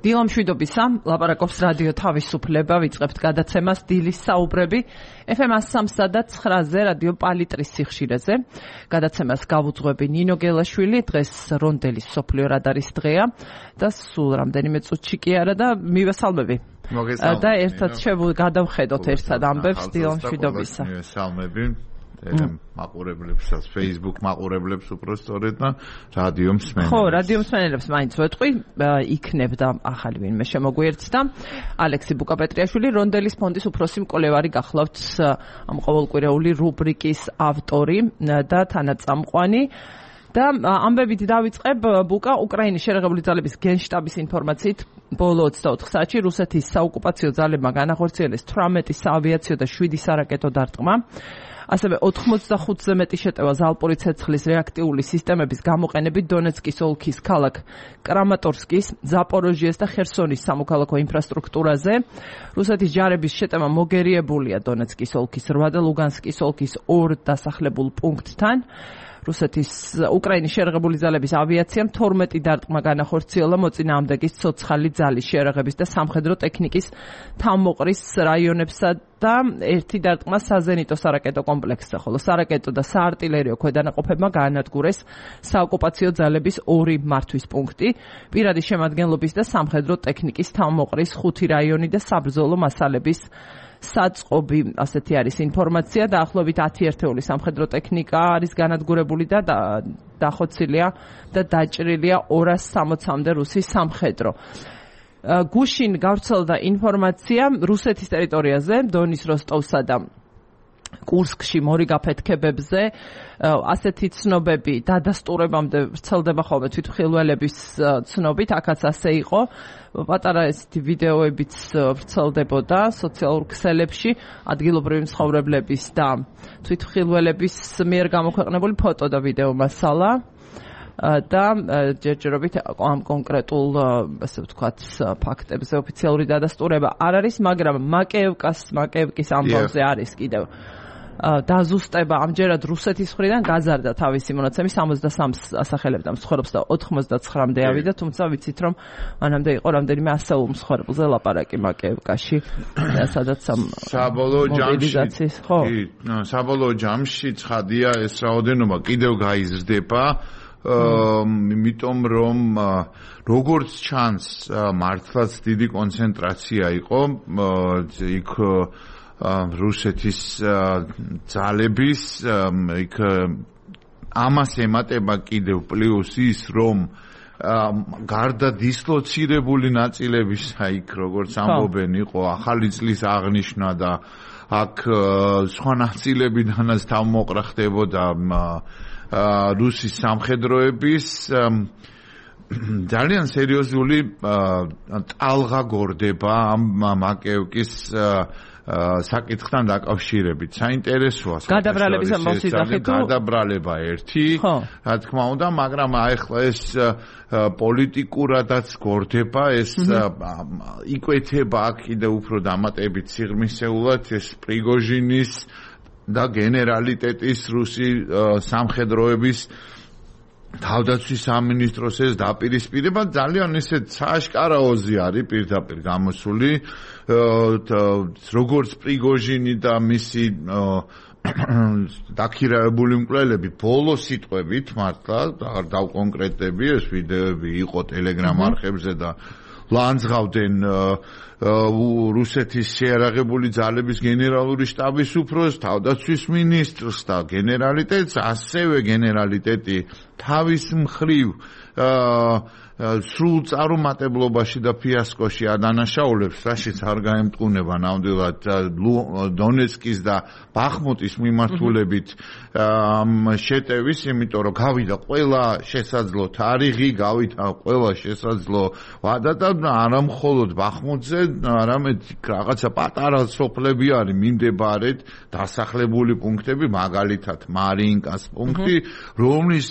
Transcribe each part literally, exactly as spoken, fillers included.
დილო მშვიდობისა, ლაპარაკობს რადიო თავისუფლება, ვიწყებთ გადაცემას დილის საუბრები ეფ ემ სამსა და ცხრაზე რადიო პალიტრის სიხშირეზე. გადაცემას გავუძღვები ნინო გელაშვილი, დღეს რონდელის მსოფლიო რადარის დღეა და სულ რამდენიმე წუთში კი არა და მივესალმები. და ერთად შევგადავხედოთ ერთად ამბებს დილო მშვიდობისა. მივესალმები. მაყურებლებსაც, Facebook მაყურებლებს უпростоრეთ და რადიო მსმენელებს. ხო, რადიო მსმენელებს მაინც ვეთყვი, იქნებდა ახალი ვინმე შემოგვიერთდა. ალექსი ბუკაპეტრიაშვილი, რონდელის ფონდის უფროსი მკვლევარი გახლავთ ამ ყოველკვირეული რუბრიკის ავტორი და თანაწამყვანი. და ამბებით დავიწყებ ბუკა უკრაინის შერეღებული ძალების გენშტაბის ინფორმაციით ბოლო ოცდაოთხ საათში რუსეთის საოკუპაციო ძალებმა განახორციელეს თვრამეტი საავიაციო და შვიდი სარაკეტო დარტყმა. ასევე ოთხმოცდახუთზე მეტი შეტევა ზალპური ცეცხლის რეაქტიული სისტემების გამოყენებით დონეცკის ოლქის ქალაქ კრამატორსკის, ზაპოროჟიეს და ხერსონის სამოქალაქო ინფრასტრუქტურაზე. რუსეთის ჯარების შეტევა მოგერიებულია დონეცკის ოლქის რვა და ლუგანსკის ოლქის ორ დასახლებულ პუნქტთან. რუსეთის უკრაინის შერეღებული ძალების ავიაციამ თორმეტი დარტყმა განახორციელა მოწინააღმდეგის ცოცხალი ძალის შერეღების და სამხედრო ტექნიკის თავმოყრის რაიონებსა და ერთი დარტყმა საზენიტო სარაკეტო კომპლექსზე, ხოლო სარაკეტო და საარტილერიო ქვედანაყოფებმა გაანადგურეს საოკუპაციო ძალების ორი მართვის პუნქტი, პირადი შემადგენლობის და სამხედრო ტექნიკის თავმოყრის ხუთი რაიონი და საბრძოლო მასალების საწყობი. ასეთი არის ინფორმაცია. დაახლოებით ათი ერთეული სამხედრო ტექნიკა არის განადგურებული და დახოცილია და დაჭრილია ორას სამოცამდე რუსის სამხედრო. გუშინ გავრცელდა ინფორმაცია რუსეთის ტერიტორიაზე, დონის როსტოვსა და კურსკში მორიგ აფეთქებებზე. ასეთი ცნობები დადასტურებამდე ვრცელდება ხოლმე თვითმხილველების ცნობით, აქაც ასე იყო. პატარა ესეთი ვიდეოებიც ვრცელდებოდა სოციალურ ქსელებში ადგილობრივი მცხოვრებლების და თვითმხილველების მიერ გამოქვეყნებული ფოტო და ვიდეო მასალა. და ჯერჯერობით ამ კონკრეტულ, ასე ვთქვათ, ფაქტებზე ოფიციალური დადასტურება არ არის, მაგრამ მაკეევკას, მაკეევკის ამბავზე არის კიდევ დაზუსტება. ამჯერად რუსეთის მხრიდან გაზარდა თავისი მონაცემი სამოცდასამს ასახელებდა მსხვერპლს და ოთხმოცდაცხრამდე ავიდა, თუმცა ვიცით რომ მანამდე იყო რამდენიმე ასეულ მსხვერპლზე ლაპარაკი მაკეევკაში, სადაც ამ საბოლოო ჯამში, კი, საბოლოო ჯამში ცხადია ეს რაოდენობა კიდევ გაიზრდება. იმიტომ რომ როგორც ჩანს მართლაც დიდი კონცენტრაცია იყო იქ რუსეთის ძალების, იქ ამას ემატება კიდევ პლუს ის რომ გარდა დისლოცირებული ნაწილებისა იქ როგორც ამბობენ იყო ახალი წლის აღნიშვნა და აქ სხვა ნაწილებიდანაც თავმოყრა ხდებოდა რუსის სამხედროების ძალიან სერიოზული ტალღა გორდება ამ მაკეევკის საკითხთან დაკავშირებით. საინტერესოა გადაბრალების მოსიძახე თუ გადაბრალება ერთი, რა თქმა უნდა, მაგრამ ახლა ეს პოლიტიკურადაც გორდება, ეს იკვეთება კიდევ უფრო დამატებით სიღრმისეულად ეს პრიგოჟინის და გენერალიტეტის რუსი სამხედროების თავდაცვის სამინისტროს ეს დაპირისპირება ძალიან ისე სააშკარაოზე არის პირდაპირ გამოსული, როგორც პრიგოჟინი და მისი დაქირავებული მკვლელები ბოლო სიტყვებით მართლა არ დავკონკრეტები, ეს ვიდეოები იყო ტელეგრამ არხებზე და ლანძღავდნენ რუსეთის შეიარაღებული ძალების გენერალური შტაბის უფროსს, თავდაცვის მინისტრს და გენერალიტეტს, ასევე გენერალიტეტი თავის მხრივ სრულ წარუმატებლობაში და ფიასკოში ადანაშაულებს, რაშიც არ გაემტყუნება ნამდვილად დონეცკის და ბახმუტის მიმართულებით შეტევის, იმიტომ რომ გავიდა ყველა შესაძლო თარიღი, გავიდა ყველა შესაძლო ვადა და არა მხოლოდ ბახმუტზე, არამედ რაღაცა პატარა სოფლები არის მიმდებარედ დასახლებული პუნქტები, მაგალითად მარინკას პუნქტი, რომლის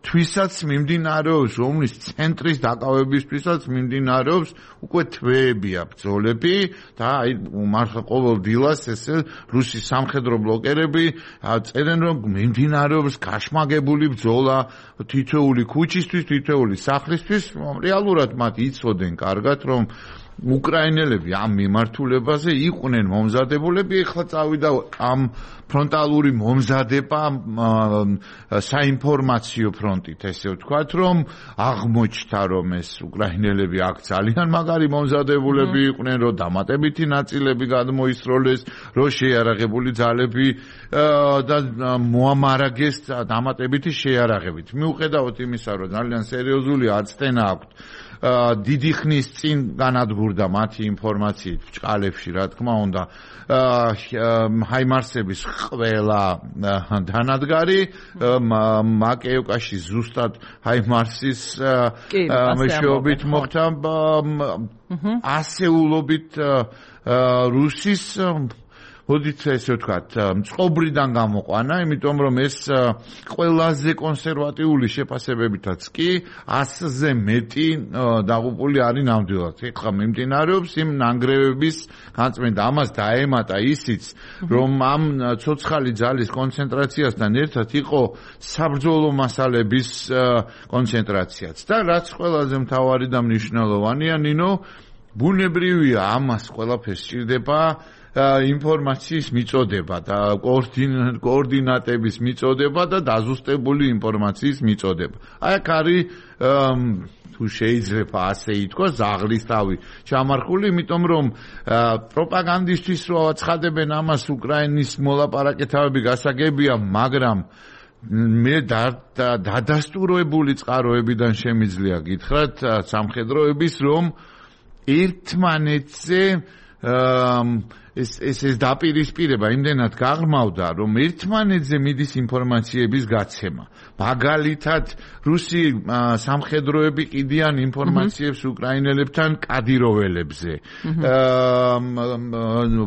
თვისაც მიმდინარეობს, რომლის ცენტრის დაკავებისთვისაც მიმდინარეობს უკვე თვეებია ბრძოლები და აი მართლა ყოველ დილას ესე რუსი სამხედრო ბლოკერები წერენ რომ მიმდინარეობს გაშმაგებული ბრძოლა თითოეული ქუჩისთვის, თითოეული სახლისთვის, რეალურად მათ იცოდნენ კარგად რომ უკრაინელები ამ მიმართულებაზე იყვნენ მომზადებულები, ეხლა წავიდა ამ ფრონტალური მომზადება საინფორმაციო ფრონტით, ესე ვთქვათ, რომ აღმოჩნდა, რომ ეს უკრაინელები აქ ძალიან მაგარი მომზადებულები იყვნენ, რომ დამატებითი ნაწილები გადმოისროლეს, რომ შეიარაღებული ძალები და მოამარაგეს დამატებითი შეიარაღებით. მიუხედავად იმისა, რომ ძალიან სერიოზული აცდენა აქვთ დიდი ხნის წინ განადგურდა მათი ინფორმაციით ბჭყალებში, რა თქმა უნდა, ჰაიმარსების ყველა დანადგარი მაკეევკაში ზუსტად ჰაიმარსის მეშვეობით მოხდა ასეულობით რუსის მოდით ესე ვთქვათ, წყობრიდან გამოყვანა, იმიტომ რომ ეს ყველაზე კონსერვატიული შეფასებებითაც კი ასზე მეტი დაღუპული არის ნამდვილად. ეხლა მიმდინარეობს იმ ნანგრევების განწმენდა. ამას დაემატა ისიც, რომ ამ ცოცხალი ძალის კონცენტრაციასთან ერთად იყო საბრძოლო მასალების კონცენტრაციაც. და რაც ყველაზე მთავარი და მნიშვნელოვანია, ნინო, ბუნებრივია ამას ყველაფერს სჭირდება ინფორმაციის მიწოდება და კოორდინატების მიწოდება და დაზუსტებული ინფორმაციის მიწოდება. აი აქ არის თუ შეიძლება ასე ითქვას ზაღლის თავი ჩამარხული, იმიტომ რომ პროპაგანდისტვის რო აცხადებენ ამას უკრაინის მოლაპარაკეთავები გასაგებია, მაგრამ მე დადასტურებული წყაროებიდან შემიძლია გითხრათ სამხედროების, რომ ერთმანეთზე ეს ეს ეს დაპირისპირება იმდენად გაღრმავდა, რომ ერთმანეთზე მიდის ინფორმაციების გაცემა. მაგალითად, რუსი სამხედროები კიდიან ინფორმაციებს უკრაინელებთან კადიროველებზე.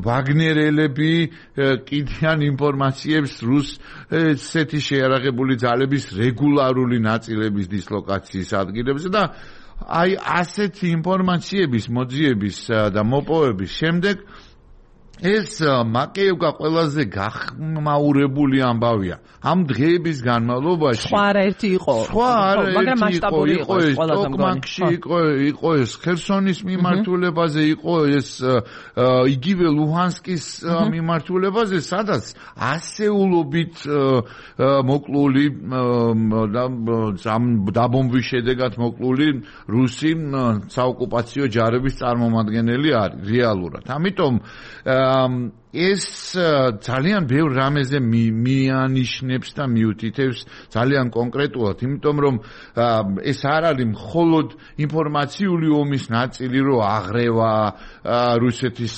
ვაგნერელები კიდიან ინფორმაციებს რუსეთი შეიარაღებული ძალების რეგულარული ნაწილების დისლოკაციის ადგილებზე და აი ასეთი ინფორმაციების მოძიების და მოპოვების შემდეგ ეს მაკეევკა ყველაზე გახმაურებული ამბავია. ამ დღეების განმავლობაში სხვა ერთი იყო, მაგრამ მასშტაბური იყო ეს ტოკმაკში იყო, იყო ეს ხერსონის მიმართულებაზე, იყო ეს იგივე ლუჰანსკის მიმართულებაზე, სადაც ასეულობით მოკლული დაბომბვის შედეგად მოკლული რუსი საოკუპაციო ჯარების წარმომადგენელი არის რეალურად. ამიტომ ეს ძალიან ბევრ რამეზე მიანიშნებს და მიუთითებს ძალიან კონკრეტულად, იმიტომ რომ ეს არ არის მხოლოდ ინფორმაციული ომის ნაწილი, რომ აღრევა რუსეთის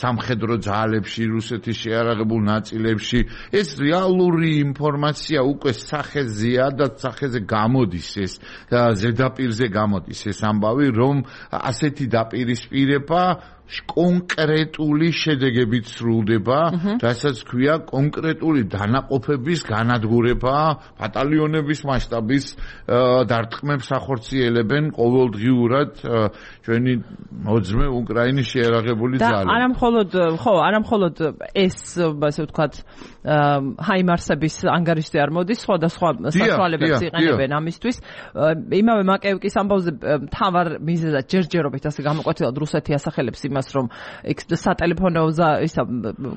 სამხედრო ძალებში, რუსეთის შეიარაღებულ ნაწილებში, ეს რეალური ინფორმაცია უკვე სახეზეა და სახეზე გამოდის, ეს ზედაპირზე გამოდის ეს ამბავი, რომ ასეთი დაპირისპირება კონკრეტული შედეგებით სრულდება, რასაც ქვია კონკრეტული დანაყოფების განადგურება, ბატალიონების მასშტაბის დარტყმებს ახორციელებენ ყოველდღიურად ჩვენი მოძმე უკრაინის შეიარაღებული ძალები. და არამხოლოდ, ხო, არამხოლოდ ეს, ასე ვთქვათ, ჰაიმარსების ანგარიშზე არ მოდის, სხვადასხვა საშუალებებს იყენებენ ამისთვის. იმავე მაკეევკის ამბავზე მთავარ მიზეზად ჯერჯერობით ასე გამოკვეთილად რუსეთი ასახელებს იმას, რომ სატელეფონო ისა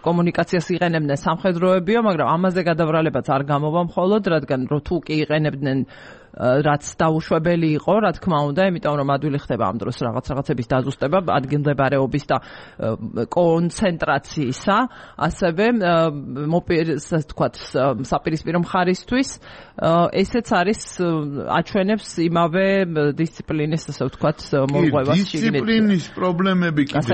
კომუნიკაციას იყენებდნენ სამხედროებიო, მაგრამ ამაზე გადავრალებაც არ გამოვა მხოლოდ, რადგან რო თუ კი იყენებდნენ რაც დაუშვებელი იყო, რა თქმა უნდა, იმიტომ რომ ადვილი ხდება ამ დროს რაღაც რაღაცების დაზუსტება, ადგილმდებარეობის და კონცენტრაციისა, ასევე მოპირს, თქვათ, საპირისპირო მხარისთვის, ესეც არის აჩვენებს იმავე დისციპლინის, ასე ვთქვათ, მორღვევას შიგნით. დისციპლინის პრობლემები კიდე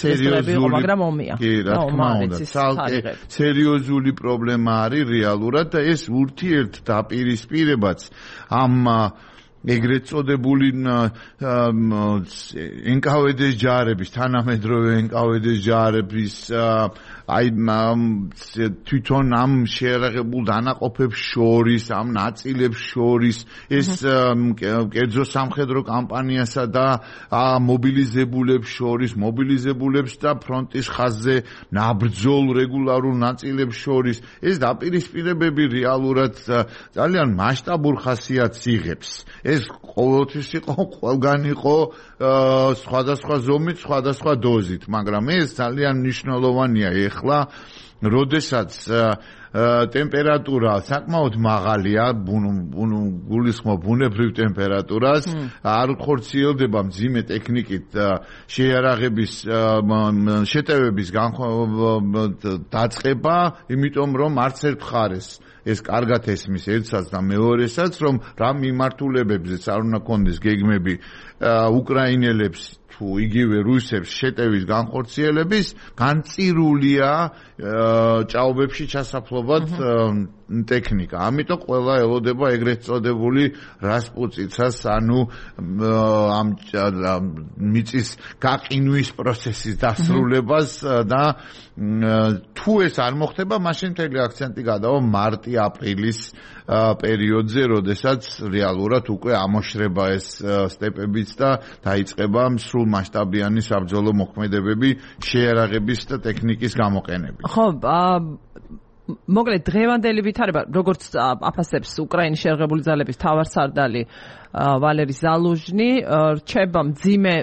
სერიოზული იყო, მაგრამ ომია. კი, რა თქმა უნდა, ცალკე სერიოზული პრობლემა არის რეალურად და ეს ურთიერთდაპირისპირებაც ამ ეგრეთ წოდებული ენ კა ვე დე-ს ჯარების, თანამედროვე ენ კა ვე დე-ს ჯარების აი თვითონ ამ შეერაღებულ დანაყოფებს შორის, ამ ნაწილებს შორის ეს კერძო სამხედრო კამპანიასა და მობილიზებულებს შორის, მობილიზებულებს და ფრონტის ხაზზე ნაბრძოლ რეგულარულ ნაწილებს შორის ეს დაპირისპირებები რეალურად ძალიან მასშტაბურ ხასიათს იღებს. ეს ყოველთვის იყო, ყველგან იყო სხვადასხვა ზომით, სხვადასხვა დოზით, მაგრამ ეს ძალიან მნიშვნელოვანია ეხლა, როდესაც ტემპერატურა საკმაოდ მაღალია, გულისხმობ ბუნებრივ ტემპერატურას, არ ხორციელდება მძიმე ტექნიკით შეიარაღების შეტევების დაწყება, იმიტომ რომ არც ერთ მხარეს ეს კარგად ესმის ერთსაც და მეორესაც, რომ რა მიმართულებებზეც არ უნდა კონდეს გეგმები უკრაინელებს თუ იგივე რუსებს შეტევის განხორციელების, განწირულია ჭაობებში ჩასაფლობად ტექნიკა. ამიტომ ყველა ელოდება ეგრეთ წოდებული რასპუტიცას, ანუ ამ მიწის გაყინვის პროცესის დასრულებას და თუ ეს არ მოხდება, მაშინ მთელი აქცენტი გადავა მარტი-აპრილის პერიოდზე, როდესაც რეალურად უკვე ამოშრება ეს სტეპებიც და დაიწყება სრულ მასშტაბიანი საბრძოლო მოქმედებები შეიარაღების და ტექნიკის გამოყენებით. ხო, მოკლედ დღევანდელი ვითარება, როგორც აფასებს უკრაინის შეიარაღებული ძალების თავარსარდალი ვალერი ზალუჟნი, რჩება მძიმე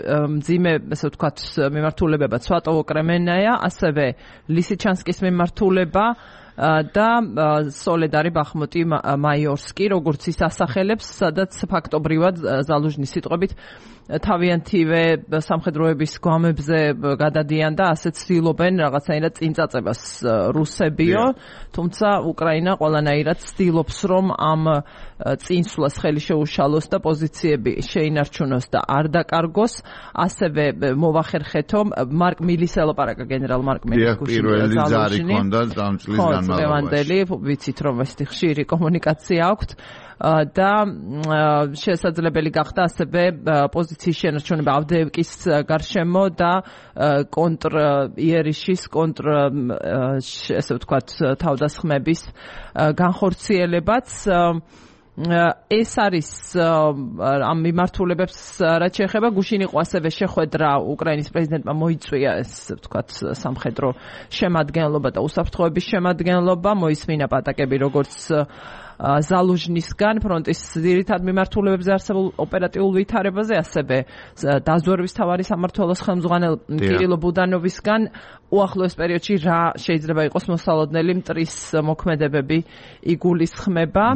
მძიმე ესე ვთქვათ მიმართულებება სვატოვო-კრემენნაია, ასევე ლისიჩანსკის მიმართულება და სოლედარი ბახმუტი მაიორსკი, როგორც ის ასახელებს, სადაც ფაქტობრივად ზალუჟნის სიტყვებით თავიანთივე სამხედროების გვამებზე გადადიან და ასე ცდილობენ რაღაცაირად წინ წაწებას რუსებიო, თუმცა უკრაინა ყველანაირად ცდილობს, რომ ამ წინსვლას ხელი შეუშალოს და პოზიციები შეინარჩუნოს და არ დაკარგოს, ასევე მოვახერხეთო მარკ მილის ელაპარაკა გენერალ მარკ მილის პირველი ზარი ჰქონდა ამ წლის განმავლობაში. ვიცით რომ ეს ხშირი კომუნიკაცია აქვთ და შესაძლებელი გახდა ასევე პოზიციის შენარჩუნება ავდეევკის გარშემო და კონტრ იერიშის კონტრ ესე ვთქვათ თავდასხმების განხორციელებაც. ეს არის ამ მიმართულებებს რაც შეეხება, გუშინ იყო ასევე შეხვედრა უკრაინის პრეზიდენტმა მოიწვია ეს ვთქვათ სამხედრო შემადგენლობა და უსაფრთხოების შემადგენლობა, მოისმინა პატაკები როგორც ზალუჟნისგან ფრონტის ძირითად მიმართულებებზე არსებულ ოპერატიულ ვითარებაზე, ასევე დაზვერვის მთავარი სამმართველოს ხელმძღვანელ კირილო ბუდანოვისგან უახლოეს პერიოდში რა შეიძლება იყოს მოსალოდნელი მტრის მოქმედებები იგულისხმება.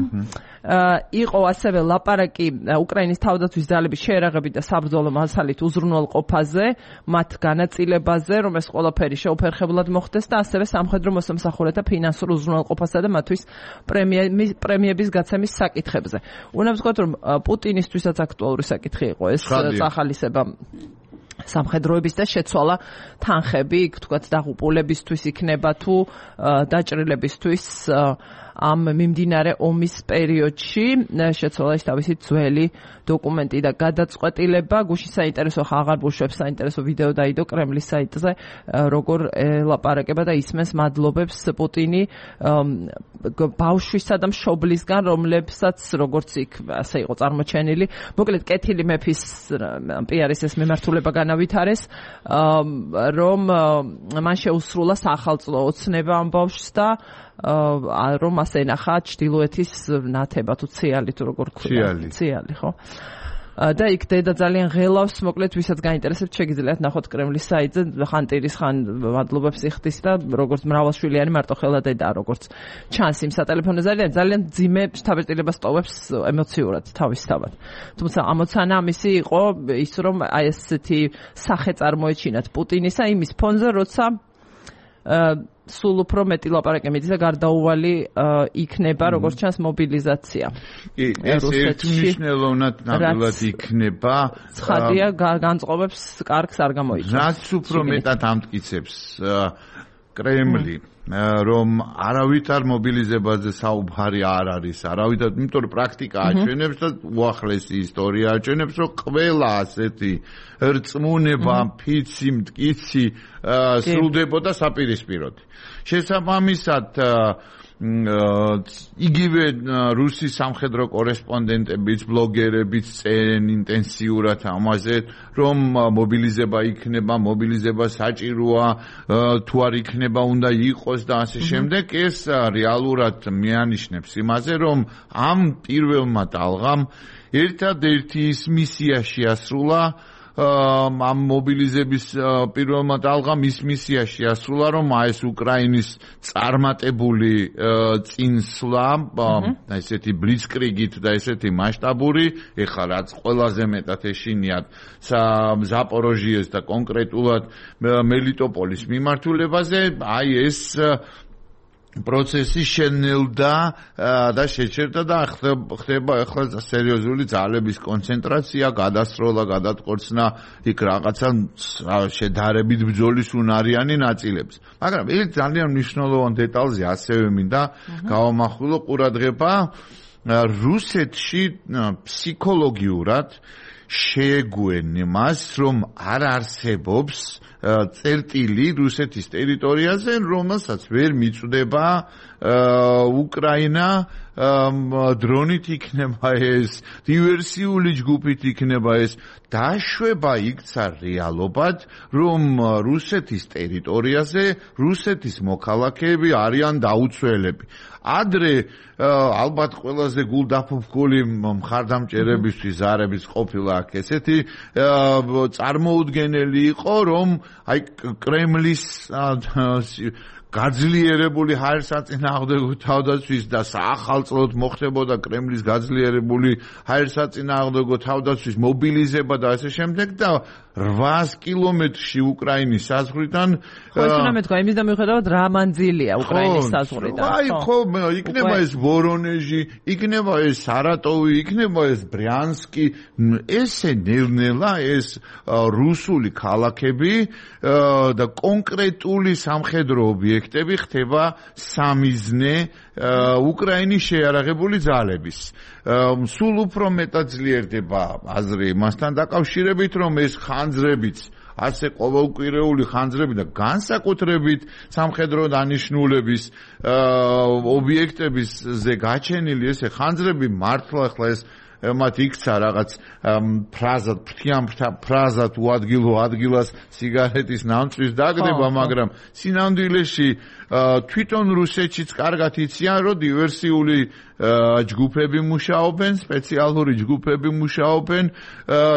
იყო ასევე ლაპარაკი უკრაინის თავდაცვის ძალების შეერაღებით და საბრძოლო მასალით უზრუნველყოფაზე, მათ განაწილებაზე, რომ ეს ყველაფერი შეუფერხებლად მოხდეს და ასევე სამხედრო მოსამსახურეთა ფინანსურ უზრუნველყოფასა და მათთვის პრემიების გაცემის საკითხებზე. უნდა ვთქვათ, რომ პუტინისთვისაც აქტუალური საკითხი იყო ეს წახალისება სამხედროების და შეცვალა თანხები, თქვათ დაღუპულებისთვის იქნება თუ დაჭრილებისთვის ამ მიმდინარე ომის პერიოდში შეცვალა ის თავისი ძველი დოკუმენტი და გადაწყვეტილება. გუშინ საინტერესო აღარ ბუშებს საინტერესო ვიდეო დაიდო კრემლის საიტზე, როგორ ელაპარაკება და ისმენს მადლობებს პუტინი ბავშვისა და მშობლისგან, რომლებსაც როგორც იქ ასე იყო წარმოჩენილი. მოკლედ კეთილი მეფის პიარის ეს მიმართულება განავითარეს, რომ მან შეუსრულა სახელმწიფო ოცნება ამ ბავშვს და რომ ასე ნახა ჩრდილოეთის ნათება თუ ციალი თუ როგორ ქვია ციალი ხო და იქ დედა ძალიან ღელავს, მოკლედ ვისაც გაინტერესებს შეგიძლიათ ნახოთ კრემლის საიტზე, ხან ტირის ხან მადლობებს იხდის და როგორც მრავალშვილიანი მარტოხელა დედა, როგორც ჩანს იმ სატელეფონო ზარიდან ძალიან ძიმე შთაბეჭდილებას ტოვებს ემოციურად თავისთავად. თუმცა ამოცანა ამისი იყო ის, რომ აი ესეთი სახე წარმოეჩინათ პუტინისა იმის ფონზე, როცა სულ უფრო მეტი ლაპარაკი მიდის და გარდაუვალი იქნება, როგორც ჩანს მობილიზაცია. კი, ეს ერთმნიშვნელოვნად ნამდვილად იქნება. ცხადია, განწყობებს კარგს არ გამოიწვევს. რაც უფრო მეტად ამტკიცებს კრემლი რომ არავითარ მობილიზებაზე საუბარი არ არის, არავითარ, იმიტომ რომ პრაქტიკა აჩვენებს და უახლესი ისტორია აჩვენებს, რომ ყველა ასეთი რწმუნება, ფიცი, მტკიცი სრულდებოდა საპირისპიროდ. შესაბამისად იგივე რუსი სამხედრო კორესპონდენტებიც, ბლოგერებიც წერენ ინტენსიურად ამაზე, რომ მობილიზება იქნება, მობილიზება საჭიროა, თუ არ იქნება, უნდა იყოს და ასე შემდეგ. ეს რეალურად მიანიშნებს იმაზე, რომ ამ პირველმა ტალღამ ერთადერთი ის მისია შეასრულა, ამ მობილიზების პირველმა ტალღამ ის მისია შეასრულა, რომ ეს უკრაინის წარმატებული წინსვლა, ესეთი ბლიცკრიგით და ესეთი მასშტაბური, ეხლა რაც ყველაზე მეტად ეშინიათ ზაპოროჟიეს და კონკრეტულად მელიტოპოლის მიმართულებაზე, აი ეს პროცესი შენელდა და შეჩერდა და ხდება ახლა სერიოზული ძალების კონცენტრაცია, გადასროლა, გადატყორცნა იქ რაღაცა შედარებით ბრძოლის უნარიანი ნაწილებს. მაგრამ ერთ ძალიან მნიშვნელოვან დეტალზე ასევე მინდა გავამახვილო ყურადღება, რუსეთში ფსიქოლოგიურად შეეგუენ იმას, რომ არ არსებობს წერტილი რუსეთის ტერიტორიაზე, რომელსაც ვერ მიწვდება უკრაინა, დრონით იქნება ეს, დივერსიული ჯგუფით იქნება ეს, დაშვება იქცა რეალობად, რომ რუსეთის ტერიტორიაზე რუსეთის მოქალაქეები არიან დაუცველები. ადრე ალბათ ყველაზე გულდაფუფკული მხარდამჭერებისთვის ზარების ყოფილა აქ ესეთი წარმოუდგენელი იყო, რომ აი კრემლის გაძლიერებული ჰაერსაწინააღმდეგო თავდაცვის და საახალწლოდ მოხდებოდა კრემლის გაძლიერებული ჰაერსაწინააღმდეგო თავდაცვის მობილიზება და ასე შემდეგ და რვაას კილომეტრში უკრაინის საზღვრიდან ხო ეს უნდა მეთქვა იმის და მიუხედავად რა მანძილია უკრაინის საზღვრიდან აი ხო იქნება ეს ვორონეჟი, იქნება ეს სარატოვი, იქნება ეს ბრიანსკი, ესე ნელ-ნელა ეს რუსული ქალაქები და კონკრეტული სამხედრო ობიექტები ხდება სამიზნე უკრაინის შეიარაღებული ძალების. სულ უფრო მეტად ძლიერდება აზრი მასთან დაკავშირებით, რომ ეს ხანძრებიც ასე ყოველკვირეული ხანძრები და განსაკუთრებით სამხედრო დანიშნულების ობიექტებისზე გაჩენილი ესე ხანძრები მართლა ახლა ეს მათ იქცა რაღაც ფრაზად, ფრთიან ფრაზად უადგილო ადგილას სიგარეტის ნამწვის დაგდება, მაგრამ სინამდვილეში თვითონ რუსეთშიც კარგად იციან, რომ დივერსიული ჯგუფები მუშაობენ, სპეციალური ჯგუფები მუშაობენ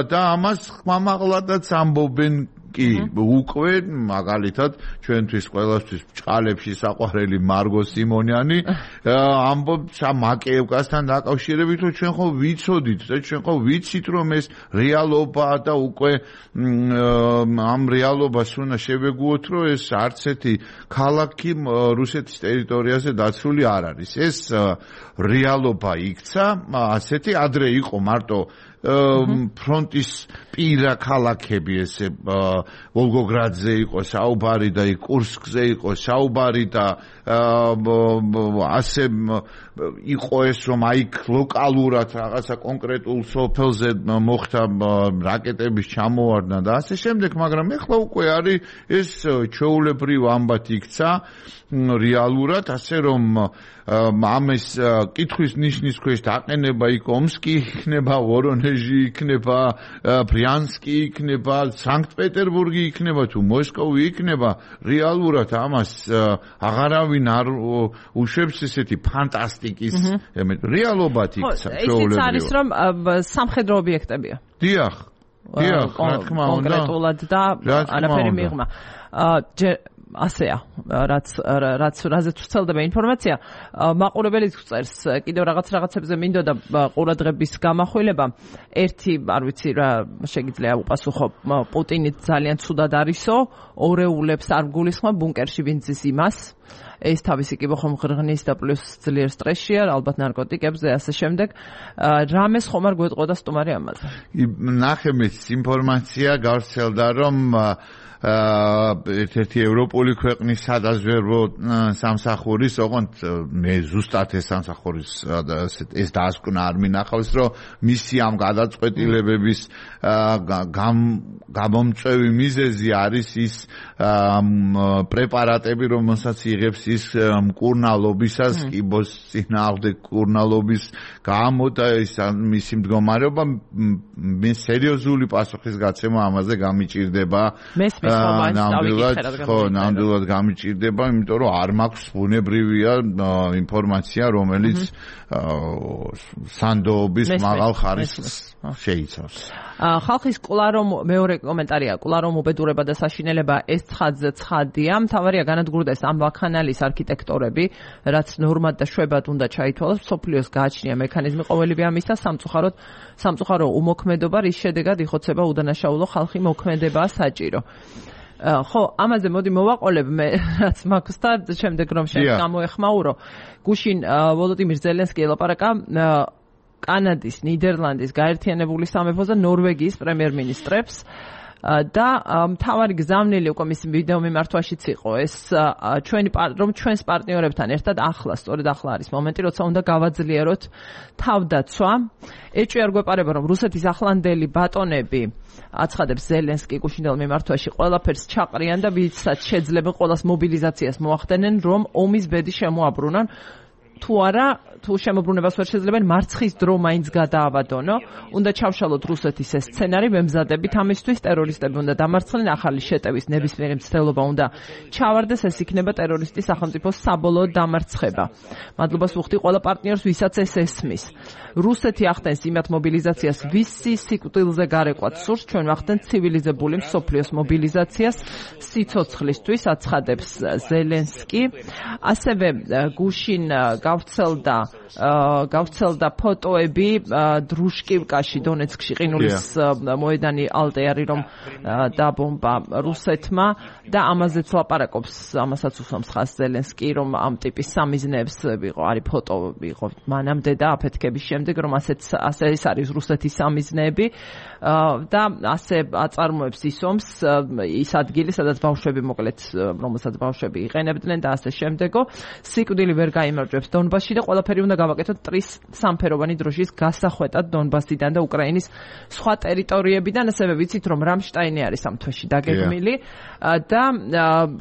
და ამას ხმამაღლადაც ამბობენ კი უკვე მაგალითად ჩვენთვის ყველასთვის ბჭყალებში საყვარელი მარგო სიმონიანი ამბობს მაკეევკასთან დაკავშირებით, რომ ჩვენ ხო ვიცოდით და ჩვენ ხო ვიცით, რომ ეს რეალობაა და უკვე ამ რეალობას უნდა შევეგუოთ, რომ ეს არც ერთი ქალაქი რუსეთის ტერიტორიაზე დაცული არ არის. ეს რეალობა იქცა, ასეთი ადრე იყო მარტო ფრონტის პირა ქალაქები, ესე ვოლგოგრადზე იყო საუბარი და კურსკზე იყო საუბარი და ასე იყო ეს, რომ აი ლოკალურად რაღაცა კონკრეტულ სოფელზე მოხდა რაკეტების ჩამოვარდნა და ასე შემდეგ, მაგრამ ეხლა უკვე არის ეს ჩვეულებრივ ამბად იქცა რეალურად, ასე რომ ამის კითხვის ნიშნის ქვეშ დაყენება იქ ომსკი იქნება, ვორონეჟი იქნება, ბრიანსკი იქნება, სანქტ-პეტერბურგი იქნება თუ მოსკოვი იქნება, რეალურად ამას აღარავინ არ უშვებს ესეთი ფანტასტიკის რეალობად იქცა ჩვეულებრივ. ისიც არის, რომ სამხედრო ობიექტებია. დიახ, დიახ, რა თქმა უნდა. კონკრეტულად და არაფერი მიღმა. ასეა, რაც რაც რაზეც ვცელდება ინფორმაცია, მაყურებელიც წერს კიდევ რაღაც რაღაცებზე მინდოდა ყურადღების გამახვილება. ერთი, არ ვიცი რა შეგიძლია უპასუხო, პუტინი ძალიან ცუდად არისო, ორეულებს არ გულისხმობ ბუნკერში ვინ ძის იმას. ეს თავისი კი ხომ ღრღნის და პლუს ძლიერ სტრესშია, ალბათ ნარკოტიკებზე ასე შემდეგ. რამეს ხომ არ გვეტყოდა სტუმარი ამაზე? ნახე მეც ინფორმაცია გავრცელდა, რომ ერთ-ერთი ევროპული ქვეყნის სადაზვერვო სამსახურის, ოღონდ მე ზუსტად ეს სამსახურის ეს დაასკვნა არ მინახავს, რომ მისი ამ გადაწყვეტილებების გამომწვევი მიზეზი არის ის პრეპარატები, რომელსაც იღებს ის მკურნალობისას, კიბოს წინააღმდეგ მკურნალობის გამო და ის მისი მდგომარეობა მე სერიოზული პასუხის გაცემა ამაზე გამიჭირდება. ნამდვილად ხო, ნამდვილად გამიჭირდება, იმიტომ რომ არ მაქვს ბუნებრივია ინფორმაცია, რომელიც სანდოობის მაღალ ხარისხს შეიცავს. ხალხის კლარო მეორე კომენტარია, კლარო უბედურება და საშინელება ეს ცხადზე ცხადია. მთავარია განადგურდეს ამ ვაქანალის არქიტექტორები, რაც ნორმად და შვებად უნდა ჩაითვალოს, მსოფლიოს გააჩნია მექანიზმი ყოველივე ამისა, სამწუხაროდ სამწუხარო უმოქმედობა, რის შედეგად იხოცება უდანაშაულო ხალხი მოქმედებაა საჭირო. ხო, ამაზე მოდი მოვაყოლებ მე რაც მაქვს და შემდეგ რომ შენ გამოეხმაურო. გუშინ ვოლოდიმირ ზელენსკი ელაპარაკა კანადის, ნიდერლანდის, გაერთიანებული სამეფოს და ნორვეგიის პრემიერ-მინისტრებს და მთავარი გზავნილი უკვე მის ვიდეო მიმართვაშიც იყო ეს ჩვენი რომ ჩვენს პარტნიორებთან ერთად ახლა, სწორედ ახლა არის მომენტი, როცა უნდა გავაძლიეროთ თავდაცვა. ეჭვი არ გვეპარება, რომ რუსეთის ახლანდელი ბატონები აცხადებს ზელენსკი გუშინდელ მიმართვაში ყველაფერს ჩაყრიან და ვისაც შეძლება ყველას მობილიზაციას მოახდენენ, რომ ომის ბედი შემოაბრუნონ. თუ არა, თუ შემოbrunებას ვერ შეძლებენ, მარცხის დრო მაინც გადააბადონო. უნდა ჩავშალოთ რუსეთის ეს სცენარი, ვემზადებით ამისთვის, ტერორისტები უნდა დამარცხდნენ, ახალი შეტევის ნებისმიერი მცდელობა უნდა ჩავარდეს, ეს იქნება ტერორისტის სახელმწიფოს საბოლოო დამარცხება. მადლობას ვუხდი ყველა პარტნიორს, ვისაც ეს ესმის. რუსეთი ახდენს იმათ მობილიზაციას, ვისი სიკვდილზე გარეკვაც სურს, ჩვენ ვახდენთ ცივილიზებული მსოფლიოს მობილიზაციას სიცოცხლისთვის, აცხადებს ზელენსკი. ასევე გუშინ გავცელდა გავცელდა ფოტოები დრუშკივკაში, დონეცკში, ყინულის მოედანი ალტეარი, რომ დაბომბა რუსეთმა და ამაზეც ლაპარაკობს, ამასაც უსვამს ხაზს ზელენსკი, რომ ამ ტიპის სამიზნეებს ვიყო, არის ფოტო ვიყო მანამდე და აფეთქების შემდეგ, რომ ასეც ასე ეს არის რუსეთის სამიზნეები და ასე აწარმოებს ისვამს ის ადგილი, სადაც ბავშვები მოკლედ, რომელსაც ბავშვები იყენებდნენ და ასე შემდეგო. სიკვდილი ვერ გაიმარჯვებს დონბასში და ყველაფერი უნდა გავაკეთოთ ტრის სამფეროვანი დროშის გასახვეტად დონბასიდან და უკრაინის სხვა ტერიტორიებიდან. ასევე ვიცით, რომ რამშტაინი არის ამ თვეში დაგეგმილი და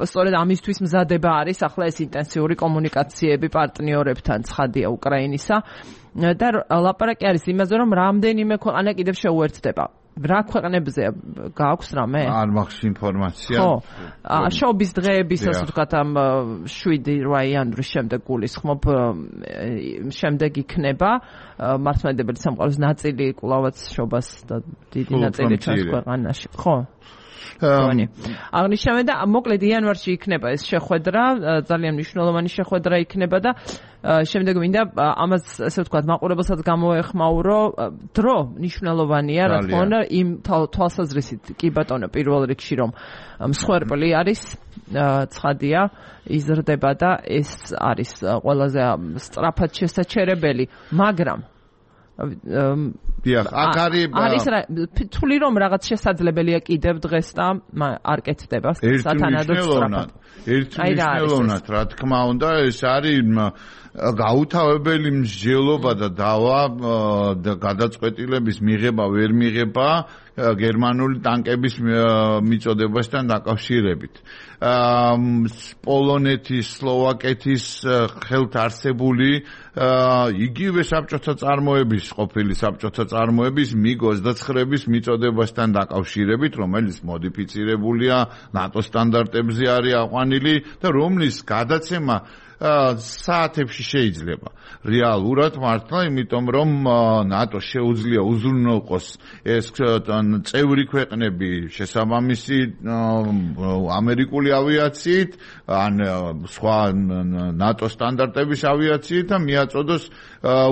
სწორედ ამისთვის მზადება არის ახლა ეს ინტენსიური კომუნიკაციები პარტნიორებთან, ცხადია უკრაინისა და ლაპარაკი არის იმაზე, რომ რამდენიმე ქვეყანა კიდევ შეუერთდება. რა ქვეყნებზე გააქვს რამე? არ მაქვს ინფორმაცია. ხო. შობის დღეების, ასე ვთქვათ, ამ შვიდი რვა იანვრის შემდეგ გულისხმობ, შემდეგ იქნება მართლმადიდებელი სამყაროს ნაწილი კვლავაც შობას და დიდი ნაწილი ჩვენს ქვეყანაში. ხო. აღნიშნავენ და მოკლედ იანვარში იქნება ეს შეხვედრა, ძალიან მნიშვნელოვანი შეხვედრა იქნება და შემდეგ მინდა ამას ასე ვთქვათ მაყურებელსაც გამოეხმაურო, დრო მნიშვნელოვანია, რა თქმა უნდა, იმ თვალსაზრისით კი ბატონო პირველ რიგში, რომ მსხვერპლი არის, ცხადია, იზრდება და ეს არის ყველაზე სწრაფად შესაჩერებელი, მაგრამ დიახ, აქ არის არის თვლი რომ რაღაც შესაძლებელია კიდევ დღეს და არ კეთდება სათანადო სწრაფად. ერთმნიშვნელოვნად, რა თქმა უნდა, ეს არის გაუთავებელი მსჯელობა და დავა და გადაწყვეტილების მიღება ვერ მიღება გერმანული ტანკების მიწოდებასთან დაკავშირებით. პოლონეთის, სლოვაკეთის ხელთ არსებული იგივე საბჭოთა წარმოების, ყოფილი საბჭოთა წარმოების მიგ ოცდაცხრების მიწოდებასთან დაკავშირებით, რომელიც მოდიფიცირებულია ნატო სტანდარტებზე არის აყვანილი და რომლის გადაცემა საათებში შეიძლება. რეალურად მართლა, იმიტომ რომ ნატო შეუძლია უზრუნველყოს ეს წევრი ქვეყნები შესაბამისი ამერიკული ავიაციით, ან სხვა ნატო სტანდარტების ავიაციით და მიაწოდოს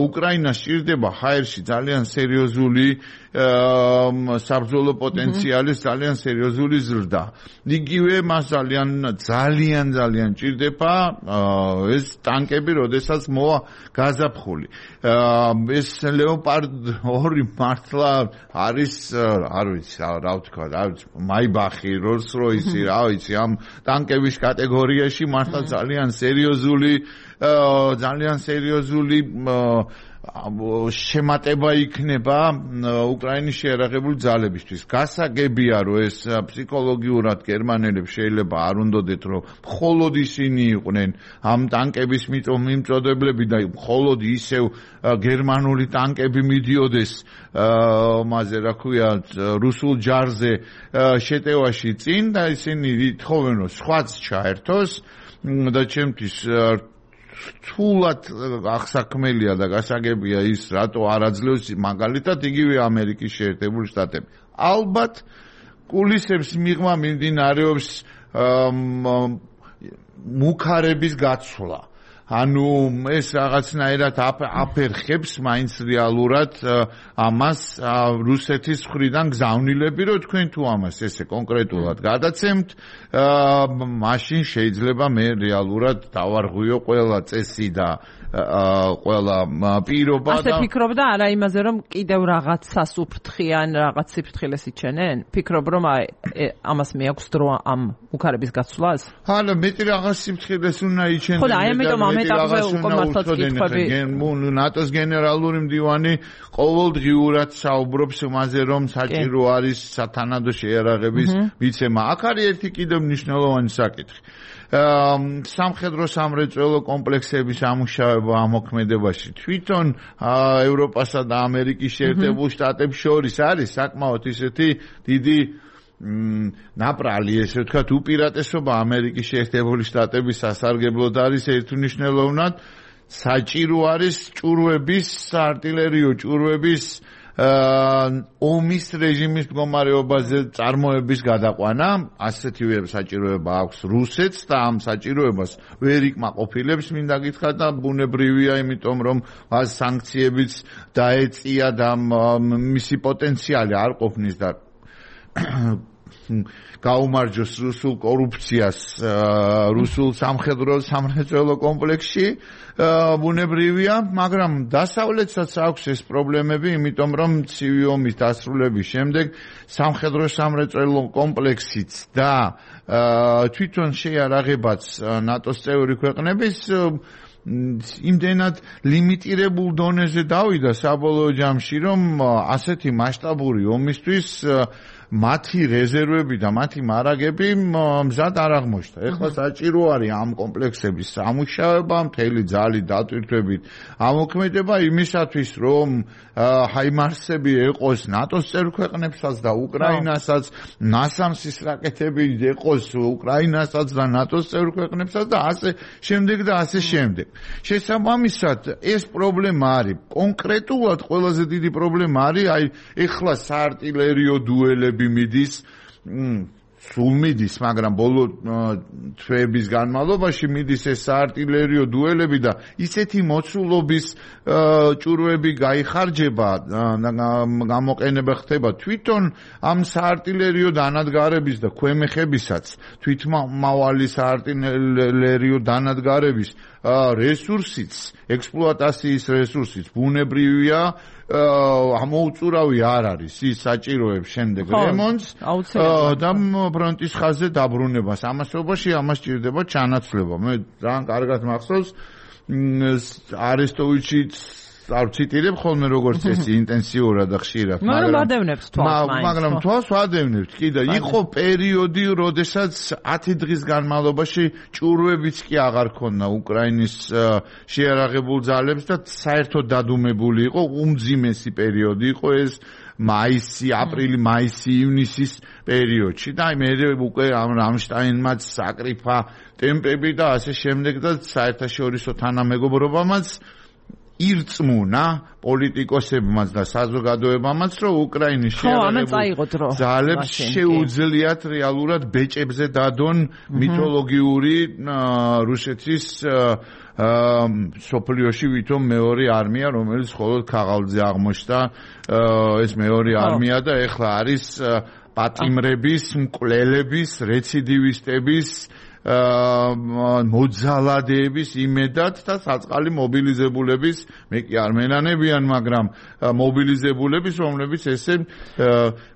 უკრაინას სჭირდება ჰაერში ძალიან სერიოზული საბრძოლო პოტენციალის ძალიან სერიოზული ზრდა. იგივე მას ძალიან ძალიან ძალიან ჭირდება ეს ტანკები როდესაც მოვა გაზაფხული ეს ლეოპარდ ორი მართლა არის არ ვიცი რა ვთქვა რა ვიცი მაიბახი როლს როისი რა ვიცი ამ ტანკების კატეგორიაში მართლა ძალიან სერიოზული ძალიან სერიოზული შემატება იქნება უკრაინის შეიარაღებული ძალებისთვის. გასაგებია, რომ ეს ფსიქოლოგიურად გერმანელებს შეიძლება არ უნდოდეთ, რომ მხოლოდ ისინი იყვნენ ამ ტანკების მიმწოდებლები და მხოლოდ ისევ გერმანული ტანკები მიდიოდეს მასე რა ქვია რუსულ ჯარზე შეტევაში წინ და ისინი ითხოვენ, რომ სხვაც ჩაერთოს და ჩემთვის თულად აღსაქმელია და გასაგებია ის რატო არ აძლევს მაგალითად იგივე ამერიკის შეერთებული შტატები. ალბათ კულისებს მიღმა მიმდინარეობს მუქარების გაცვლა. ანუ ეს რაღაცნაირად აფერხებს მაინც რეალურად ამას რუსეთის მხრიდან გზავნილები, რომ თქვენ თუ ამას ესე კონკრეტულად გადაცემთ, მაშინ შეიძლება მე რეალურად დავარღვიო ყველა წესი და ყველა პირობა და ასე ფიქრობდა არა იმაზე რომ კიდევ რაღაცას უფრთხიან, რაღაც სიფრთხილეს იჩენენ? ფიქრობ რომ ამას მეაქვს დრო ამ მუქარების გაცვლას? ჰალა მეტი რაღაც სიფრთხილეს უნდა იჩენდნენ. ხო და აი ამიტომ ამ ეტაპზე უკვე მართლაც კითხვები ნატოს გენერალური მდივანი ყოველდღიურად საუბრობს იმაზე რომ საჭირო არის სათანადო შეიარაღების მიცემა. აქ არის ერთი კიდევ მნიშვნელოვანი საკითხი. სამხედრო სამრეწველო კომპლექსების ამუშავება ამ მოქმედებაში თვითონ ევროპასა და ამერიკის შეერთებულ შტატებს შორის არის საკმაოდ ისეთი დიდი ნაპრალი ესე ვთქვათ უპირატესობა ამერიკის შეერთებული შტატების სასარგებლოდ არის ერთმნიშვნელოვნად საჭირო არის ჭურვების артиლერიო ჭურვების ომის რეჟიმის მდგომარეობაზე წარმოების გადაყვანა ასეთივე საჭიროება აქვს რუსეთს და ამ საჭიროებას ვერ იკმაყოფილებს მინდა გითხრათ და ბუნებრივია იმიტომ რომ მას სანქციებიც დაეწია და მისი პოტენციალი არ ყოფნის და გაუმარჯოს რუსულ კორუფციას რუსულ სამხედრო სამრეწველო კომპლექსში ბუნებრივია, მაგრამ დასავლეთსაც აქვს ეს პრობლემები, იმიტომ რომ ცივი ომის დასრულების შემდეგ სამხედრო სამრეწველო კომპლექსიც და თვითონ შეიარაღებაც ნატოს წევრი ქვეყნების იმდენად ლიმიტირებულ დონეზე დავიდა საბოლოო ჯამში, რომ ასეთი მასშტაბური ომისთვის მათი რეზერვები და მათი მარაგები მზად არ აღმოჩნდა. ეხლა საჭირო არის ამ კომპლექსების სამუშაოება, მთელი ძალით დატვირთვებით ამოქმედება იმისათვის, რომ ჰაიმარსები ეყოს ნატოს წევრ ქვეყნებსაც და უკრაინასაც, ნასამსის რაკეტები ეყოს უკრაინასაც და ნატოს წევრ ქვეყნებსაც და ასე შემდეგ და ასე შემდეგ. შესაბამისად, ეს პრობლემა არის. კონკრეტულად ყველაზე დიდი პრობლემა არის აი ეხლა საარტილერიო დუელები მიდის სულ მიდის, მაგრამ ბოლო თვეების განმავლობაში მიდის ეს საარტილერიო დუელები და ისეთი მოცულობის ჭურვები გაიხარჯება და გამოყენება ხდება თვითონ ამ საარტილერიო დანადგარების და ქვემეხებისაც თვითმავალი საარტილერიო დანადგარების რესურსიც, ექსპლუატაციის რესურსიც ბუნებრივია ამოუწურავი არ არის ის საჭიროებს შემდეგ რემონტს და ფრონტის ხაზზე დაბრუნებას. ამასობაში ამას ჭირდება ჩანაცვლება. მე ძალიან კარგად მახსოვს არესტოვიჩიც არ ციტირებ ხოლმე როგორც ეს ინტენსიურად და ხშირად, მაგრამ ვადევნებს თვალს მაინც. მაგრამ თვალს ვადევნებთ კი და იყო პერიოდი, როდესაც ათი დღის განმავლობაში ჭურვებიც კი აღარ ქონდა უკრაინის შეიარაღებულ ძალებს და საერთოდ დადუმებული იყო, უმძიმესი პერიოდი იყო ეს მაისი, აპრილი, მაისი, ივნისის პერიოდში და აი მე უკვე ამ რამშტაინმაც საკრიფა ტემპები და ასე შემდეგ და საერთაშორისო თანამეგობრობამაც ირწმუნა პოლიტიკოსებმაც და საზოგადოებამაც, რომ უკრაინის შეიარაღებულ ძალებს შეუძლიათ რეალურად ბეჭებზე დადონ მითოლოგიური რუსეთის სოფლიოში ვითომ მეორე არმია, რომელიც მხოლოდ ქაღალდზე აღმოჩნდა ეს მეორე არმია და ეხლა არის პატიმრების, მკვლელების, რეციდივისტების მოძალადეების იმედად და საწყალი მობილიზებულების მე კი არ მენანებიან, მაგრამ მობილიზებულების, რომლებიც ესე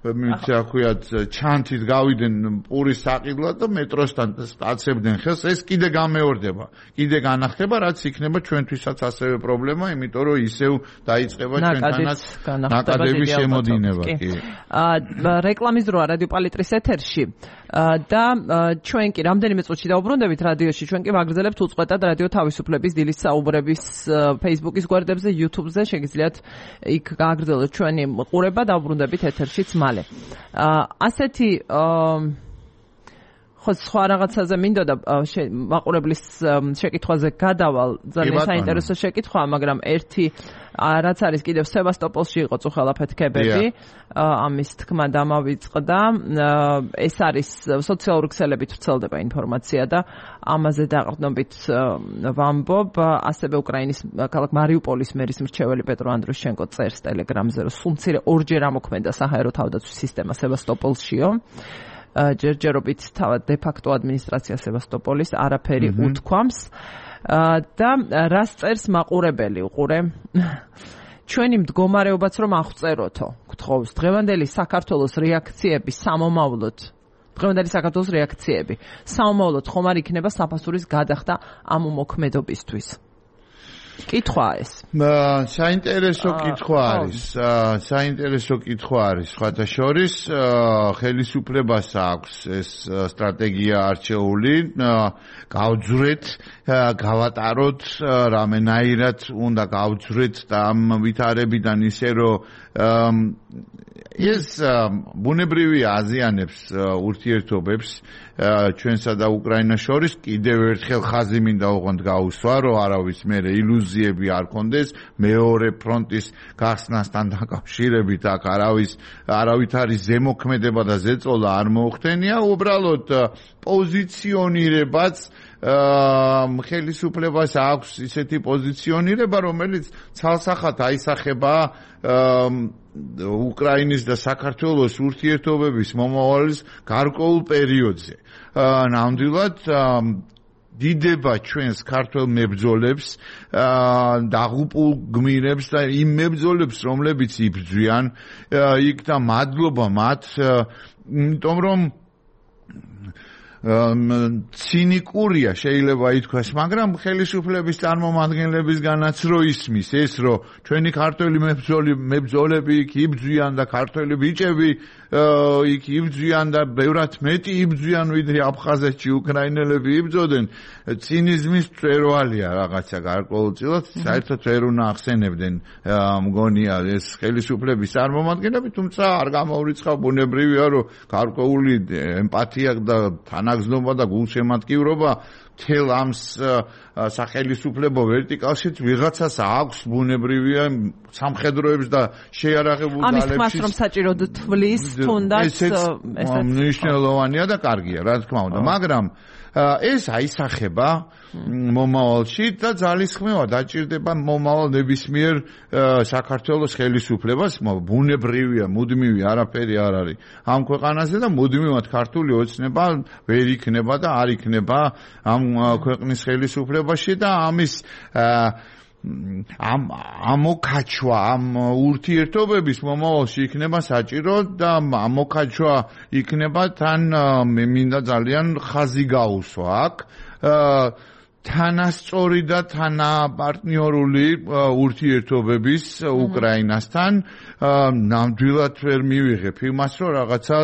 მიცი აქვიათ ჩანთით გავიდნენ პურის საყიდლად და მეტროსთან აწებდნენ ხელს, ეს კიდე გამეორდება, კიდე განახდება, რაც იქნება ჩვენთვისაც ასევე პრობლემა, იმიტომ რომ ისევ დაიწყება ჩვენთანაც ნაკადების შემოდინება. კი. რეკლამის დროა რადიო პალიტრის ეთერში და ჩვენ კი რამდენიმე წუთში დაუბრუნდებით რადიოში, ჩვენ კი ვაგრძელებთ უწყვეტად რადიო თავისუფლების დილის საუბრების Facebook-ის გვერდებზე, YouTube-ზე, შეგიძლიათ იქ გააგრძელოთ ჩვენი ყურება, დაუბრუნდებით ეთერშიც მალე. ასეთი ხო სხვა რაღაცაზე მინდოდა მაყურებლის შეკითხვაზე გადავალ, ძალიან საინტერესო შეკითხვაა, მაგრამ ერთი რაც არის კიდევ სევასტოპოლში იყო წუხელაფეთქებები, ამის თქმა დამავიწყდა, ეს არის სოციალური ქსელებით ვრცელდება ინფორმაცია და ამაზე დაყრდნობით ვამბობ, ასევე უკრაინის ქალაქ მარიუპოლის მერის მრჩეველი პეტრო ანდრუშენკო წერს ტელეგრამზე, რომ სულ მცირე ორჯერ ამოქმედა საჰაერო თავდაცვის სისტემა სევასტოპოლშიო. ჯერჯერობით თავად დე-ფაქტო ადმინისტრაცია სევასტოპოლის არაფერი უთქვამს და რას წერს მაყურებელი უყურე ჩვენი მდგომარეობაც რომ აღწეროთო გთხოვს დღევანდელი საქართველოს რეაქციები სამომავლოდ დღევანდელი საქართველოს რეაქციები სამომავლოდ ხომ არ იქნება საფასურის გადახდა ამ უმოქმედობისთვის კითხვა ეს. საინტერესო კითხვა არის. საინტერესო კითხვა არის. სხვათა შორის ხელისუფლებას აქვს ეს სტრატეგია არჩეული, გავძვრეთ, გავატაროთ, რამენაირად უნდა გავძვრეთ და ამ ვითარებიდან ისე რომ ეს ბუნებრივი აზიანებს ურთიერთობებს ჩვენსა და უკრაინას შორის კიდევ ერთხელ ხაზი მინდა ოღონდ გაუსვა, რომ არავის მერე ილუზიები არ კონდეს მეორე ფრონტის გახსნასთან დაკავშირებით აქ არავის არავითარი ზემოქმედება და ზეწოლა არ მოხდენია, უბრალოდ პოზიციონირებაც ხელისუფლებას აქვს ისეთი პოზიციონირება, რომელიც ცალსახად აისახება უკრაინის და საქართველოს ურთიერთობების მომავალის გარკვეულ პერიოდზე. ნამდვილად დიდება ჩვენს ქართველ მებრძოლებს, დაღუპულ გმირებს და იმ მებრძოლებს, რომლებიც იბრძვიან, იქ და მადლობა მათ, იმიტომ რომ ცინიკურია შეიძლება ითქვას, მაგრამ ხელისუფლების წარმომადგენლებისგანაც რო ისმის ეს, რომ ჩვენი ქართველი მებრძოლები იქ იბრძვიან და ქართველი ბიჭები იქ იბრძვიან და ბევრად მეტი იბრძვიან, ვიდრე აფხაზეთში უკრაინელები იბრძოდნენ, ცინიზმის მწვერვალია რაღაცა გარკვეულწილად, საერთოდ ვერ უნდა ახსენებდნენ მგონია ეს ხელისუფლების წარმომადგენლები, თუმცა არ გამოურიცხავ, ბუნებრივია, რომ გარკვეული ემპათია და თანაგზნობა და გულშემატკივრობა მთელ ამ სახელისუფლებო ვერტიკალშიც ვიღაცას აქვს, ბუნებრივია, სამხედროებს და შეიარაღებულ ძალებში. ამის თქმას რომ საჭიროდ თვლის თუნდაც ესეც მნიშვნელოვანია და კარგია, რა თქმა უნდა, მაგრამ ეს აისახება მომავალში და ძალისხმევა დაჭირდება მომავალ ნებისმიერ საქართველოს ხელისუფლებას, ბუნებრივია, მუდმივი არაფერი არ არის ამ ქვეყანაზე და მუდმივად ქართული ოცნება ვერ იქნება და არ იქნება ამ ქვეყნის ხელისუფლებაში და ამის ამ ამოქაჩვა ამ ურთიერთობების მომავალში იქნება საჭირო და ამოქაჩვა იქნება თან მე მინდა ძალიან ხაზი გაუსვა აქ თანასწორი და თანაპარტნიორული ურთიერთობების უკრაინასთან ნამდვილად ვერ მივიღებ იმას, რომ რაღაცა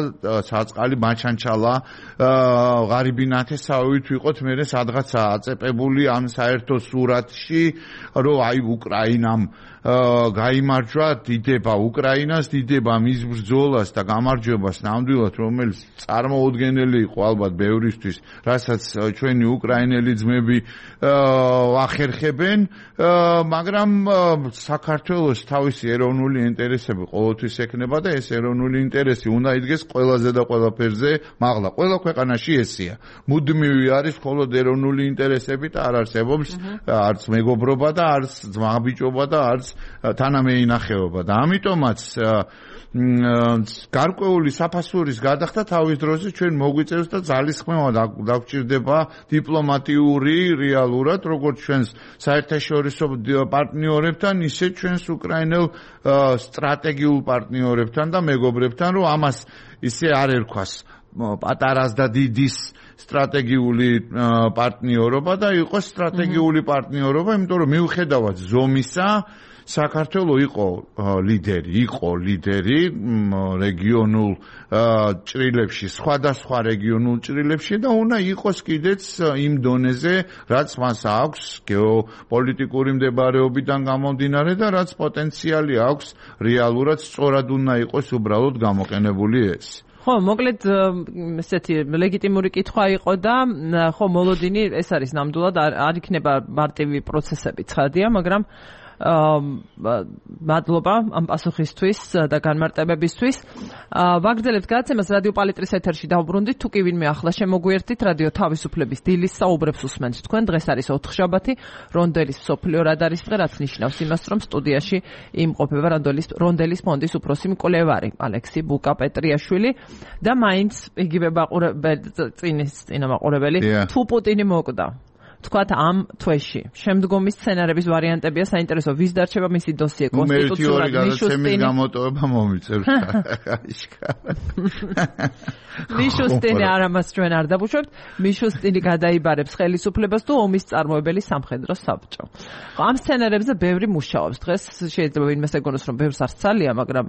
საწყალი მაჩანჩალა ღარიბი ნათესავით ვიყოთ მე სადღაც აწეპებული ამ საერთო სურათში, რომ აი უკრაინამ გაიმარჯვა, დიდება უკრაინას, დიდება მის ბრძოლას და გამარჯვებას ნამდვილად, რომელიც წარმოუდგენელი იყო ალბათ ბევრისთვის, რასაც ჩვენი უკრაინელი ძმები ახერხებენ, მაგრამ საქართველოს თავისი ეროვნული ინტერესები ყოველთვის ექნება და ეს ეროვნული ინტერესი უნდა იდგეს ყველაზე და ყველაფერზე, მაღლა ყველა ქვეყანაში ესეა. მუდმივი არის მხოლოდ ეროვნული ინტერესები და არ არსებობს არც მეგობრობა და არც ძმაბიჭობა და არც თანამეინახეობა და ამიტომაც გარკვეული საფასურის გადახდა თავის დროზე ჩვენ მოგვიწევს და ძალისხმევა დაგჭირდება დიპლომატიური რეალურად როგორც ჩვენს საერთაშორისო პარტნიორებთან ისე ჩვენს უკრაინელ სტრატეგიულ პარტნიორებთან და მეგობრებთან რომ ამას ისე არ ერქვას პატარას და დიდის სტრატეგიული პარტნიორობა და იყოს სტრატეგიული პარტნიორობა, იმიტომ რომ მიუხედავად ზომისა საქართველოს იყო ლიდერი, იყო ლიდერი რეგიონულ ჭრილებში, სხვადასხვა რეგიონულ ჭრილებში და უნდა იყოს კიდეც იმ დონეზე, რაც მას აქვს გეოპოლიტიკური მდებარეობიდან გამომდინარე და რაც პოტენციალი აქვს რეალურად სწორად უნდა იყოს უბრალოდ გამოყენებული ეს. ხო, მოკლედ ესეთი ლეგიტიმური კითხვა იყო და ხო მოლოდინი ეს არის ნამდვილად არ იქნება მარტივი პროცესები ცხადია, მაგრამ მადლობა ამ პასუხისთვის და განმარტებებისთვის. ვაგრძელებთ გადაცემას რადიო პალიტრის ეთერში დავბრუნდით, თუ კი ვინმე ახლა შემოგვიერთდით, რადიო თავისუფლების დილის საუბრებს უსმენთ თქვენ. დღეს არის ოთხშაბათი, რონდელის მსოფლიო რადარის დღე, რაც ნიშნავს იმას, რომ სტუდიაში იმყოფება რონდელის ფონდის უფროსი მკვლევარი ალექსი ბუკა-პეტრიაშვილი და მაინც იგივე მაყურებელი წინის წინა მაყურებელი თუ პუტინი მოკვდა. თქვათ ამ თვეში შემდგომი სცენარების ვარიანტებია საინტერესო ვის დარჩება მისი დოსიე კონსტიტუციურად მიშუსტინი გამოტოვება მომიწევს მიშუსტინი არ ამას ჩვენ არ დაგუშვებთ მიშუსტინი გადაიბარებს ხელისუფლებას თუ ომის წარმოებელი სამხედრო საბჭო ამ სცენარებზე ბევრი მუშაობს დღეს შეიძლება ვინმეს ეგონოს რომ ბევრს არ სცალია მაგრამ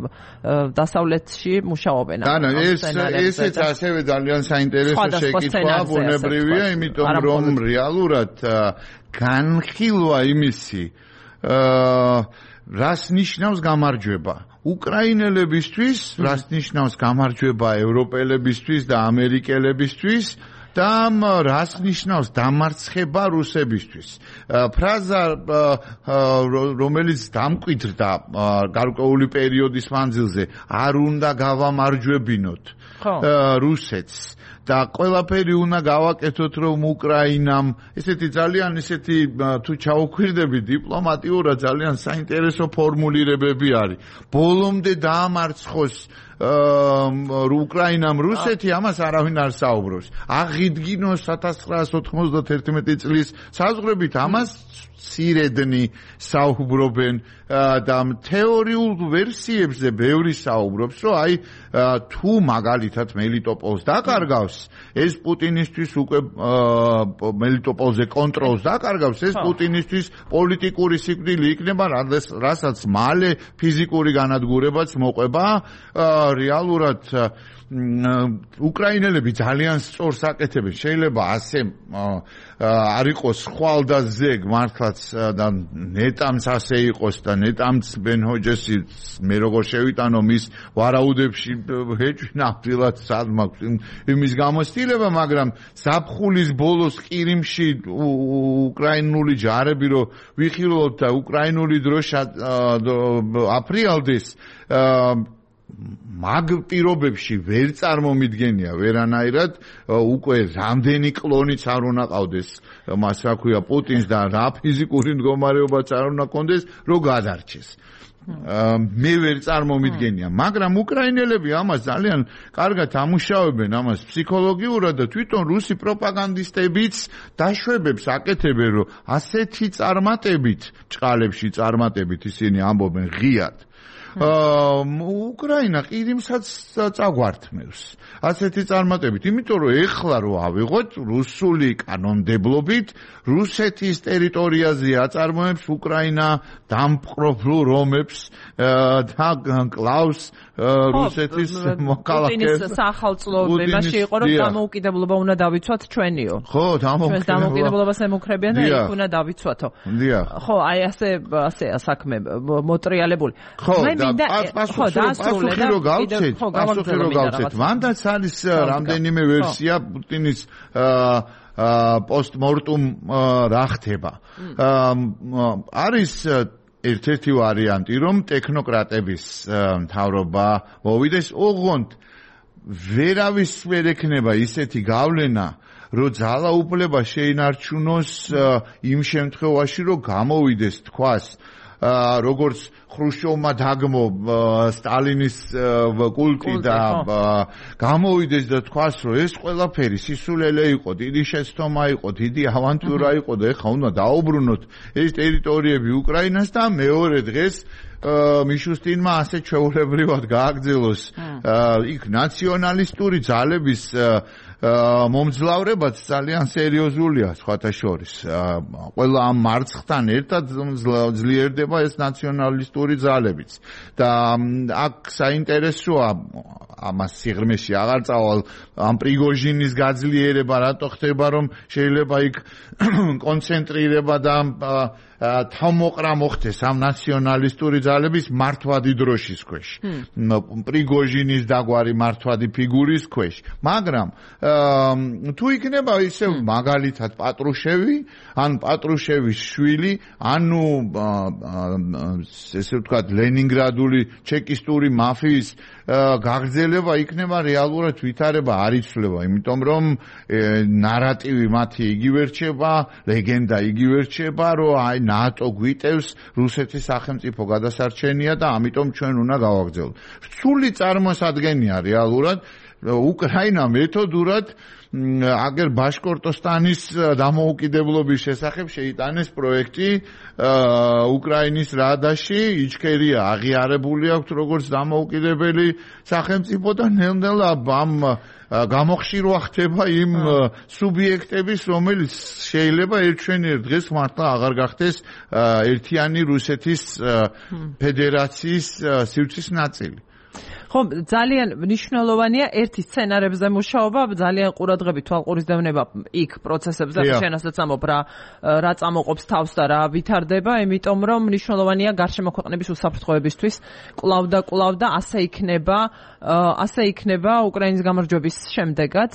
დასავლეთში მუშაობენ ანუ ეს ესეც ასევე ძალიან საინტერესო შეკითხვაა ბუნებრივია იმიტომ რომ რეალურად განხილვა იმისი რას ნიშნავს გამარჯვება უკრაინელებისთვის რას ნიშნავს გამარჯვება ევროპელებისთვის და ამერიკელებისთვის და რას ნიშნავს დამარცხება რუსებისთვის ფრაზა რომელიც დამკვიდრდა გარკვეული პერიოდის მანძილზე არ უნდა გავამარჯვებინოთ რუსეთს და ყველაფერი უნდა გავაკეთოთ რომ უკრაინამ ესეთი ძალიან ესეთი თუ ჩაუქვირდები დიპლომატიურად ძალიან საინტერესო ფორმულირებები არის ბოლომდე დაამარცხოს უკრაინამ რუსეთი ამას არავინ არ საუბრობს აღიდგინოს ათას ცხრაასი ოთხმოცდაათი წლის საზღვრებით ამას სირედნი საუბრობენ და თეორიულ ვერსიებზე ბევრი საუბრობს რომ აი თუ მაგალითად მელიტოპოლს დაკარგავს ეს პუტინისთვის უკვე მელიტოპოლზე კონტროლს დაკარგავს ეს პუტინისთვის პოლიტიკური სიკვდილი იქნება რასაც მალე ფიზიკური განადგურებაც მოყვება რეალურად უკრაინელები ძალიან სწორს აკეთებენ შეიძლება ასე არ იყოს ხვალ და ზეგ მართლაც და ნეტამს ასე იყოს და ნეტამს ბენჰოჯესი მე როგორ შევიტანო მის ვარაუდებში ჰეჭვი ნამდვილად სად მაქვს იმის გამოცდილება მაგრამ ზაფხულის ბოლოს ყირიმში უკრაინული ჯარები რო ვიხილოთ და უკრაინული დროშა აფრიალდეს მაგ პირობებში ვერ წარმომიდგენია ვერანაირად უკვე რამდენი კლონიც არ უნდა ყავდეს მას რა ქვია პუტინს და რა ფიზიკური მდგომარეობაც არ უნდა კონდეს რომ გადარჩეს მე ვერ წარმომიდგენია მაგრამ უკრაინელები ამას ძალიან კარგად ამუშავებენ ამას ფსიქოლოგიურად და თვითონ რუსი პროპაგანდისტებიც დაშვებებს აკეთებენ რომ ასეთი წარმატებით ჭყალებში წარმატებით ისინი ამბობენ ღიად უკრაინა ყირიმსაც წაგვართმევს ასეთი წარმატებით იმიტომ რომ ეხლა რო ავიღოთ რუსული კანონმდებლობით რუსეთის ტერიტორიაზე აწარმოებს უკრაინა დამპყრობლ რომებს და კლავს რუსეთის მოქალაქეს პუტინის სახელმწიფოებაში იყო რომ დამოუკიდებლობა უნდა დავიცვათ ჩვენიო ხო ჩვენ დამოუკიდებლობას ემუქრებიან და იქ უნდა დავიცვათო დიახ ხო აი ასე ასეა საქმე მოტრიალებული ხო პასუხი რო გავცეთ პასუხი რო გავცეთ მანდაც არის რამდენიმე ვერსია პუტინის პოსტმორტუმ რა ხდება არის ერთ-ერთი ვარიანტი რომ ტექნოკრატების მთავრობა მოვიდეს ოღონდ ვერავის ვერ ექნება ისეთი გავლენა რომ ძალაუფლება შეინარჩუნოს იმ შემთხვევაში რომ გამოვიდეს თქვას როგორც ხრუშჩოვმა დაგმო სტალინის კულტი და გამოვიდეს და თქვას, რომ ეს ყველაფერი სისულელე იყო, დიდი შეცდომა იყო, დიდი ავანტურა იყო და ეხლა უნდა დაუბრუნოთ ეს ტერიტორიები უკრაინას და მეორე დღეს მიშუსტინმა ასე ჩვეულებრივად გააგრძელოს იქ ნაციონალისტური ძალების მომძლავრებაც ძალიან სერიოზულია სხვათა შორის. ყველა ამ მარცხთან ერთად ძლიერდება ეს ნაციონალისტური ძალებიც. და აქ საინტერესოა ამას სიღრმეში აღარ წავალ ამ პრიგოჟინის გაძლიერება რატო ხდება რომ შეიძლება იქ კონცენტრირება და თავმოყრა მოხდეს ამ ნაციონალისტური ძალების მართვადი დროშის ქვეშ. პრიგოჟინის დაგვარი მართვადი ფიგურის ქვეშ. მაგრამ თუ იქნება ისე მაგალითად პატრუშევი, ან პატრუშევის შვილი, ანუ ესე ვთქვათ ლენინგრადული ჩეკისტური მაფიის გაგრძელება იქნება რეალურად ვითარება არ იცვლება, იმიტომ რომ ნარატივი მათი იგივე რჩება, ლეგენდა იგივე რჩება, რომ აი ნატო გვიტევს რუსეთის სახელმწიფო გადასარჩენია და ამიტომ ჩვენ უნდა გავაგრძელოთ. რთული წარმოსადგენია რეალურად უკრაინა მეთოდურად აგერ ბაშკორტოსტანის დამოუკიდებლობის შესახებ შეიტანეს პროექტი უკრაინის რადაში, იჩქერია აღიარებული აქვს როგორც დამოუკიდებელი სახელმწიფო და ნელ-ნელა ამ გამოხშირვა ხდება იმ სუბიექტების, რომელიც შეიძლება ერთჩვენიერ დღეს მართლა აღარ გახდეს ერთიანი რუსეთის ფედერაციის სივრცის ნაწილი. ხო, ძალიან მნიშვნელოვანია ერთი სცენარებზე მუშაობა, ძალიან ყურადღებით თვალყურისდევნება იქ პროცესებზე, შენასაც ამობ რა რა წამოყოფს თავს და რა ვითარდება, იმიტომ რომ მნიშვნელოვანია გარშემო ქვეყნების უსაფრთხოებისთვის კვლავ და კვლავ და ასე იქნება, ასე იქნება უკრაინის გამარჯვების შემდეგაც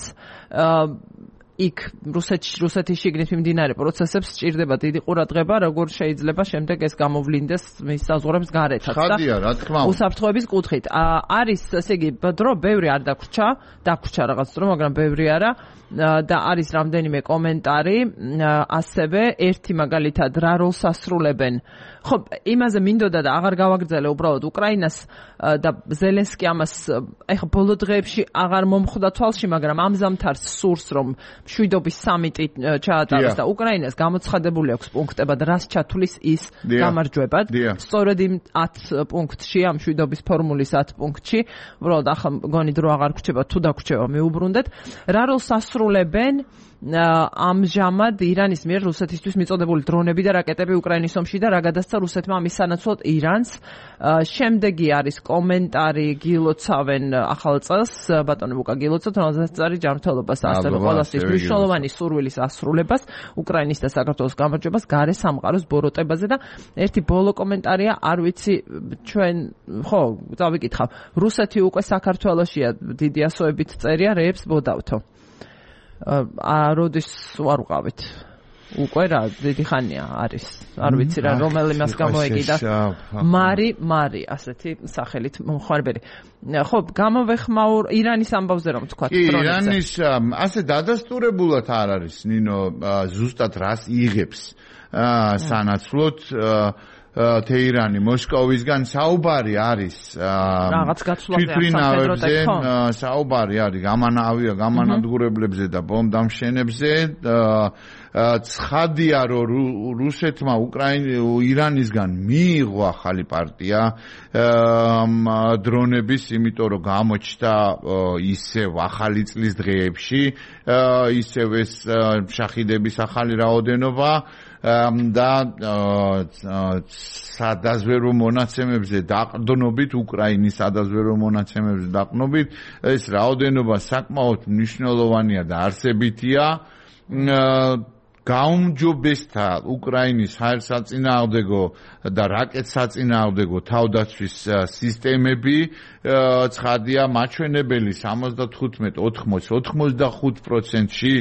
იქ რუსეთში რუსეთის შიგნით მიმდინარე პროცესებს სჭირდება დიდი ყურადღება, როგორ შეიძლება შემდეგ ეს გამოვლინდეს მის საზღვრებს გარეთაც და ხადია, რა თქმა უნდა. უსაფრთხოების კუთხით. არის, ესე იგი, დრო ბევრი არ დაგვრჩა, დაგვრჩა რაღაც დრო, მაგრამ ბევრი არა და არის რამდენიმე კომენტარი, ასევე ერთი მაგალითად რა როლს ასრულებენ. ხო, იმაზე მინდოდა და აღარ გავაგრძელე უბრალოდ უკრაინას და ზელენსკი ამას ეხა ბოლო დღეებში აღარ მომხვდა თვალში, მაგრამ ამ ზამთარს სურს რომ მშვიდობის სამიტი ჩაატაროს და უკრაინას გამოცხადებული აქვს პუნქტებად, რას ჩათვლის ის გამარჯვებად. სწორედ იმ ათ პუნქტში, ამ მშვიდობის ფორმულის ათ პუნქტში, უბრალოდ ახლა მგონი დრო აღარ გვჩება, თუ დაგვრჩება მიუბრუნდეთ. რა როლს ასრულებენ ამჟამად ირანის მიერ რუსეთისთვის მიწოდებული დრონები და რაკეტები უკრაინის ომში და რა გადასცა რუსეთმა ამის სანაცვლოდ ირანს. შემდეგი არის კომენტარი გილოცავენ ახალ წელს, ბატონო ბუკა გილოცავთ, რომელზეც არის ჯანმრთელობას ასევე ყველასთვის მნიშვნელოვანი სურვილის ასრულებას, უკრაინის და საქართველოს გამარჯვებას გარე სამყაროს ბოროტებაზე და ერთი ბოლო კომენტარია, არ ვიცი ჩვენ ხო, დავიკითხავ. რუსეთი უკვე საქართველოშია დიდი ასოებით წერია რეებს ბოდავთო. ა როდის ვარ ვყავით უკვე რა დიდი ხანია არის არ ვიცი რა რომელი მას გამოეკიდა მარი მარი ასეთი სახელით მომხარბელი ხო გამოვეხმაურ ირანის ამბავზე რომ თქვა ირანის ასე დადასტურებულად არ არის ნინო ზუსტად რას იღებს სანაცვლოდ თეირანი მოსკოვისგან საუბარი არის რაღაც გაცვლაზე საუბარი არის გამანავია გამანადგურებლებზე და ბომბდამშენებზე ცხადია რომ რუსეთმა ირანისგან მიიღო ახალი პარტია დრონების, იმიტომ რომ გამოჩნდა ისევ ახალი წლის დღეებში ისევ ეს შახიდების ახალი რაოდენობა და სადაზვერო მონაცემებზე დაყრდნობით უკრაინის სადაზვერო მონაცემებზე დაყრდნობით ეს რაოდენობა საკმაოდ მნიშვნელოვანია და არსებითია გაუმჯობესდა უკრაინის ჰაერსაწინააღმდეგო და რაკეტსაწინააღმდეგო თავდაცვის სისტემები ცხადია მაჩვენებელი სამოცდათხუთმეტ ოთხმოცდ ოთხმოცდახუთ პროცენტში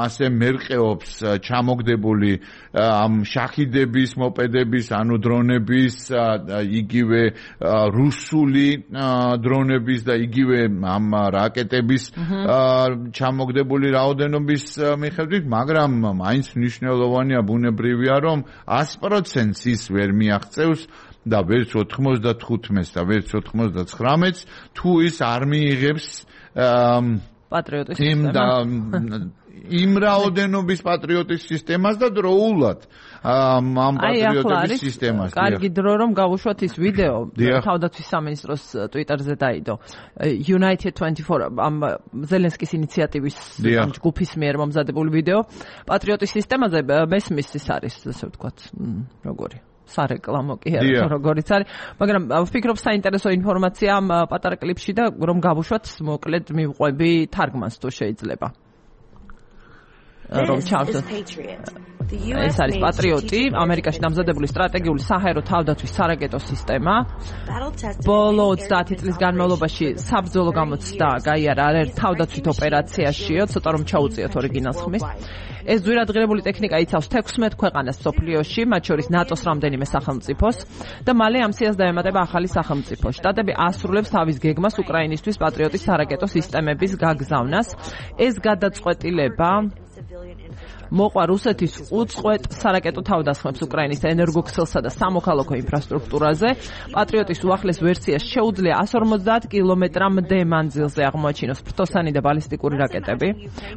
ასე მერყეობს ჩამოგდებული ამ შახიდების მოპედების ანუ დრონების იგივე რუსული დრონების და იგივე ამ რაკეტების ჩამოგდებული რაოდენობის მიხედვით, მაგრამ მაგრამ მაინც მნიშვნელოვანია ბუნებრივია რომ ას პროცენტს ის ვერ მიაღწევს და ვერც ოთხმოცდათხუთმეტს და ვერც ოთხმოცდაცხრამეტს თუ ის არ მიიღებს პატრიოტის იმ და იმ რაოდენობის პატრიოტის სისტემას და დროულად ამ პატრიოტების სისტემას. კარგი დრო რომ გავუშვათ ის ვიდეო თავდაცვის სამინისტროს ტვიტერზე დაიდო. United twenty-four ამ ზელენსკის ინიციატივის ჯგუფის მიერ მომზადებული ვიდეო პატრიოტის სისტემაზე მესმის ის არის, ასე ვთქვათ, როგორი სარეკლამო კი არა, როგორიც არის, მაგრამ ვფიქრობ საინტერესო ინფორმაცია ამ პატარა კლიპში და რომ გავუშვათ მოკლედ მივყვები თარგმანს თუ შეიძლება. რომ ჩავთვალოთ. ეს არის პატრიოტი, ამერიკაში დამზადებული სტრატეგიული საჰაერო თავდაცვის სარაკეტო სისტემა. ბოლო ოცდაათი წლის განმავლობაში საბრძოლო გამოცდა გაიარა არაერთ თავდაცვით ოპერაციაშიო, ცოტა რომ ჩაუწიოთ ორიგინალს ხმის. ეს ძვირადღირებული ტექნიკა იცავს თექვსმეტ ქვეყანას მსოფლიოში, მათ შორის ნატოს რამდენიმე სახელმწიფოს და მალე ამ სიას დაემატება ახალი სახელმწიფო. შტატები ასრულებს თავის გეგმას უკრაინისთვის პატრიოტის სარაკეტო სისტემების გაგზავნას. ეს გადაწყვეტილება მოყვა რუსეთის უწყვეტ სარაკეტო თავდასხმებს უკრაინის ენერგოქსელსა და სამოქალაქო ინფრასტრუქტურაზე. პატრიოტის უახლეს ვერსიას შეუძლია one forty კილომეტრამდე მანძილზე აღმოაჩინოს ფრთოსანი და ბალისტიკური რაკეტები.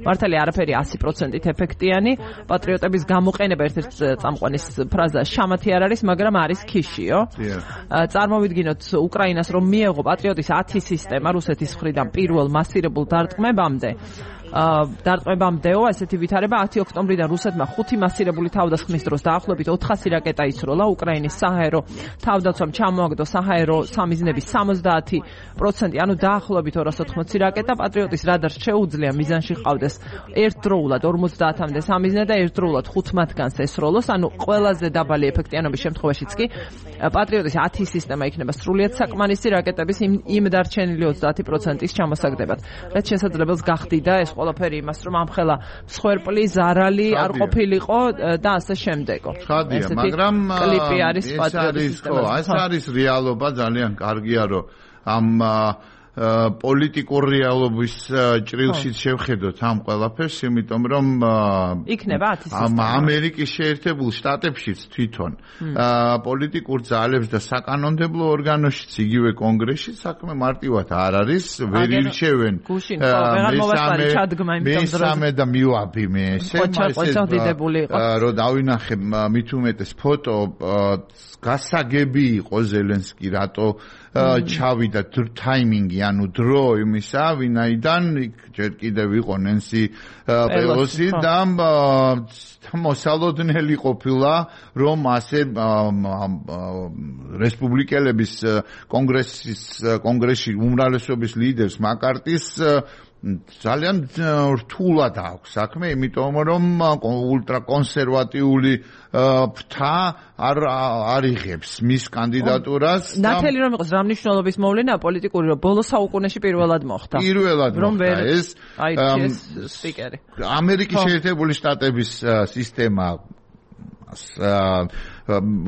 მართალია არაფერი one hundred percent ეფექტიანი. პატრიოტების გამოყენება ერთ-ერთ წამყვანის ფრაზა შამათი არ არის, მაგრამ არის ქიშიო. წარმოვიდგინოთ უკრაინას რომ მიეღო პატრიოტის ten სისტემა რუსეთის მხრიდან პირველ მასირებულ დარტყმებამდე. დარტყმებამდეო ესეთი ვითარება ათი ოქტომბრიდან რუსეთმა ხუთი მასირებული თავდასხმის დროს დაახლოებით ოთხასი რაკეტა ისროლა უკრაინის საჰაერო თავდაცვამ ჩამოაგდო საჰაერო სამიზნების სამოცდაათი პროცენტი, ანუ დაახლოებით ორას ოთხმოცი რაკეტა. პატრიოტის რადარს შეუძლია მიზანში ყავდეს ერთდროულად ორმოცდაათამდე სამიზნე და ერთდროულად ხუთ მათგანს ესროლოს, ანუ ყველაზე დაბალი ეფექტიანობის შემთხვევაშიც კი პატრიოტის ten სისტემა იქნება სრულიად საკმარისი რაკეტების იმ დარჩენილი ოცდაათი პროცენტის ჩამოსაგდებად. რაც შესაძლებელს გახდიდა ეს ყველაფერი იმას, რომ ამხელა მსხვერპლი, ზარალი არ ყოფილიყო და ასე შემდეგო. ხადია, მაგრამ კლიპი არის პატრიოტის სისტემაზე. ეს არის რეალობა, ძალიან კარგია, რომ ამ პოლიტიკურ რეალობის ჭრილშიც შევხედოთ ამ ყველაფერს, იმიტომ რომ იქნება ten სისტემა. ამერიკის შეერთებულ შტატებშიც თვითონ პოლიტიკურ ძალებს და საკანონმდებლო ორგანოშიც იგივე კონგრესშიც საქმე მარტივად არ არის, ვერ ირჩევენ. მესამე და მივაბი მე ესე რომ დავინახე მით უმეტეს ფოტო გასაგები იყო ზელენსკი რატო ჩავიდა ტაიმინგი ანუ დრო იმისა ვინაიდან ჯერ კიდევ იყო ნენსი პელოსი და მოსალოდნელი ყოფილა რომ ასე რესპუბლიკელების კონგრესის კონგრესში უმრავლესობის ლიდერს მაკარტის ძალიან რთულად აქვს საქმე, იმიტომ რომ ულტრაკონსერვატიული ფრთა არ არიღებს მის კანდიდატურას. ნათელი რომ იყოს რა მნიშვნელობის მოვლენა პოლიტიკური, რომ ბოლო საუკუნეში პირველად მოხდა. პირველად მოხდა ეს აირჩიეს სპიკერი. ამერიკის შეერთებული შტატების სისტემა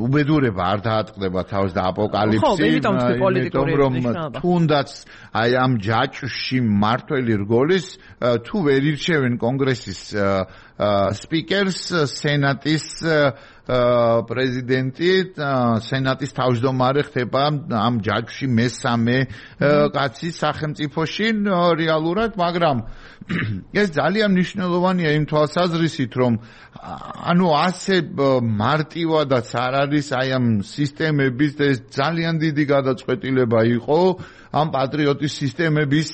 უბედურება არ დაატყდება თავს და აპოკალიფსი, იმიტომ რომ თუნდაც აი ამ ჯაჭვში მართველი რგოლის თუ ვერ ირჩევენ კონგრესის სპიკერს, სენატის პრეზიდენტი, სენატის თავმჯდომარე ხდება ამ ჯაჭვში მესამე კაცი სახელმწიფოში რეალურად, მაგრამ ეს ძალიან მნიშვნელოვანია იმ თვალსაზრისით, რომ ანუ ასე მარტივადაც არ არის აი ამ სისტემების და ეს ძალიან დიდი გადაწყვეტილება იყო ამ პატრიოტის სისტემების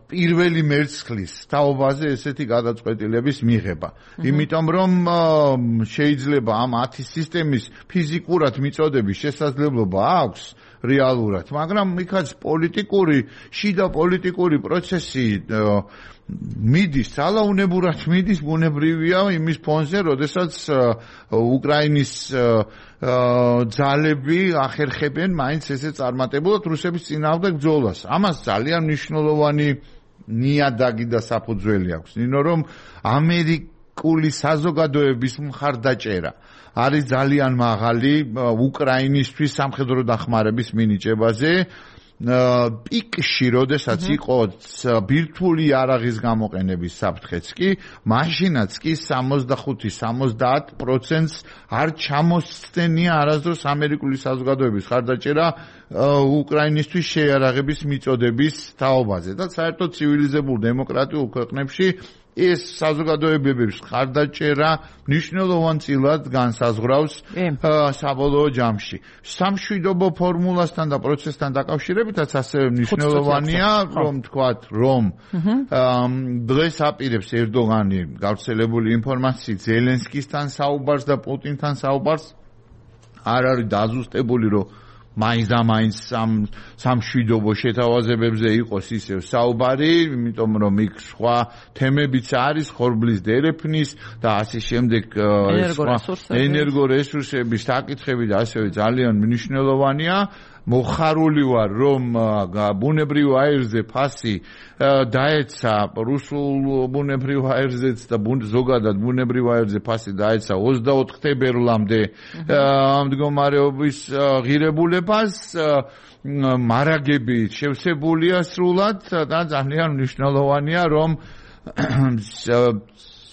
პირველი მერცხლის თაობაზე ესეთი გადაწყვეტილების მიღება. იმიტომ რომ შეიძლება ამ ten სისტემის ფიზიკურად მიწოდების შესაძლებლობა აქვს რეალურად, მაგრამ იქაც პოლიტიკური, შიდა პოლიტიკური პროცესი მიდის, ძალაუნებურად მიდის, ბუნებრივია იმის ფონზე, როდესაც უკრაინის ძალები ახერხებენ მაინც ესე წარმატებულად რუსების წინააღმდეგ ბრძოლას. ამას ძალიან მნიშვნელოვანი ნიადაგი და საფუძველი აქვს. ნინო რომ ამერიკული საზოგადოების მხარდაჭერა არის ძალიან მაღალი უკრაინისთვის სამხედრო დახმარების მინიჭებაზე. პიკში, როდესაც იყო ბირთვული იარაღის გამოყენების საფრთხეც კი, მაშინაც კი სამოცდახუთი სამოცდაათ პროცენტს არ ჩამოსცდენია არასდროს ამერიკული საზოგადოების ხარდაჭერა უკრაინისთვის შეიარაღების მიწოდების თაობაზე და საერთოდ ცივილიზებულ დემოკრატიულ ქვეყნებში ეს საზოგადოებების ხარდაჭერა მნიშვნელოვანწილად განსაზღვრავს საბოლოო ჯამში. სამშვიდობო ფორმულასთან და პროცესთან დაკავშირებითაც ასევე მნიშვნელოვანია, რომ თქვათ, რომ დღეს აპირებს ერდოღანი გავრცელებული ინფორმაციით ზელენსკისთან საუბარს და პუტინთან საუბარს არ არის დაზუსტებული, რომ მაინც და მაინც სამშვიდობო შეთავაზებებზე იყოს ისევ საუბარი, იმიტომ რომ იქ სხვა თემებიც არის, ხორბლის დერეფნის და ასე შემდეგ ენერგორესურსების საკითხები და ასევე ძალიან მნიშვნელოვანია. მოხარული ვარ, რომ ბუნებრივ აირზე ფასი დაეცა რუსულ ბუნებრივ აირზეც და ზოგადად ბუნებრივ აირზე ფასი დაეცა ოცდაოთხ თებერვლამდე მდგომარეობის ღირებულებას, მარაგები შევსებულია სრულად და ძალიან მნიშვნელოვანია, რომ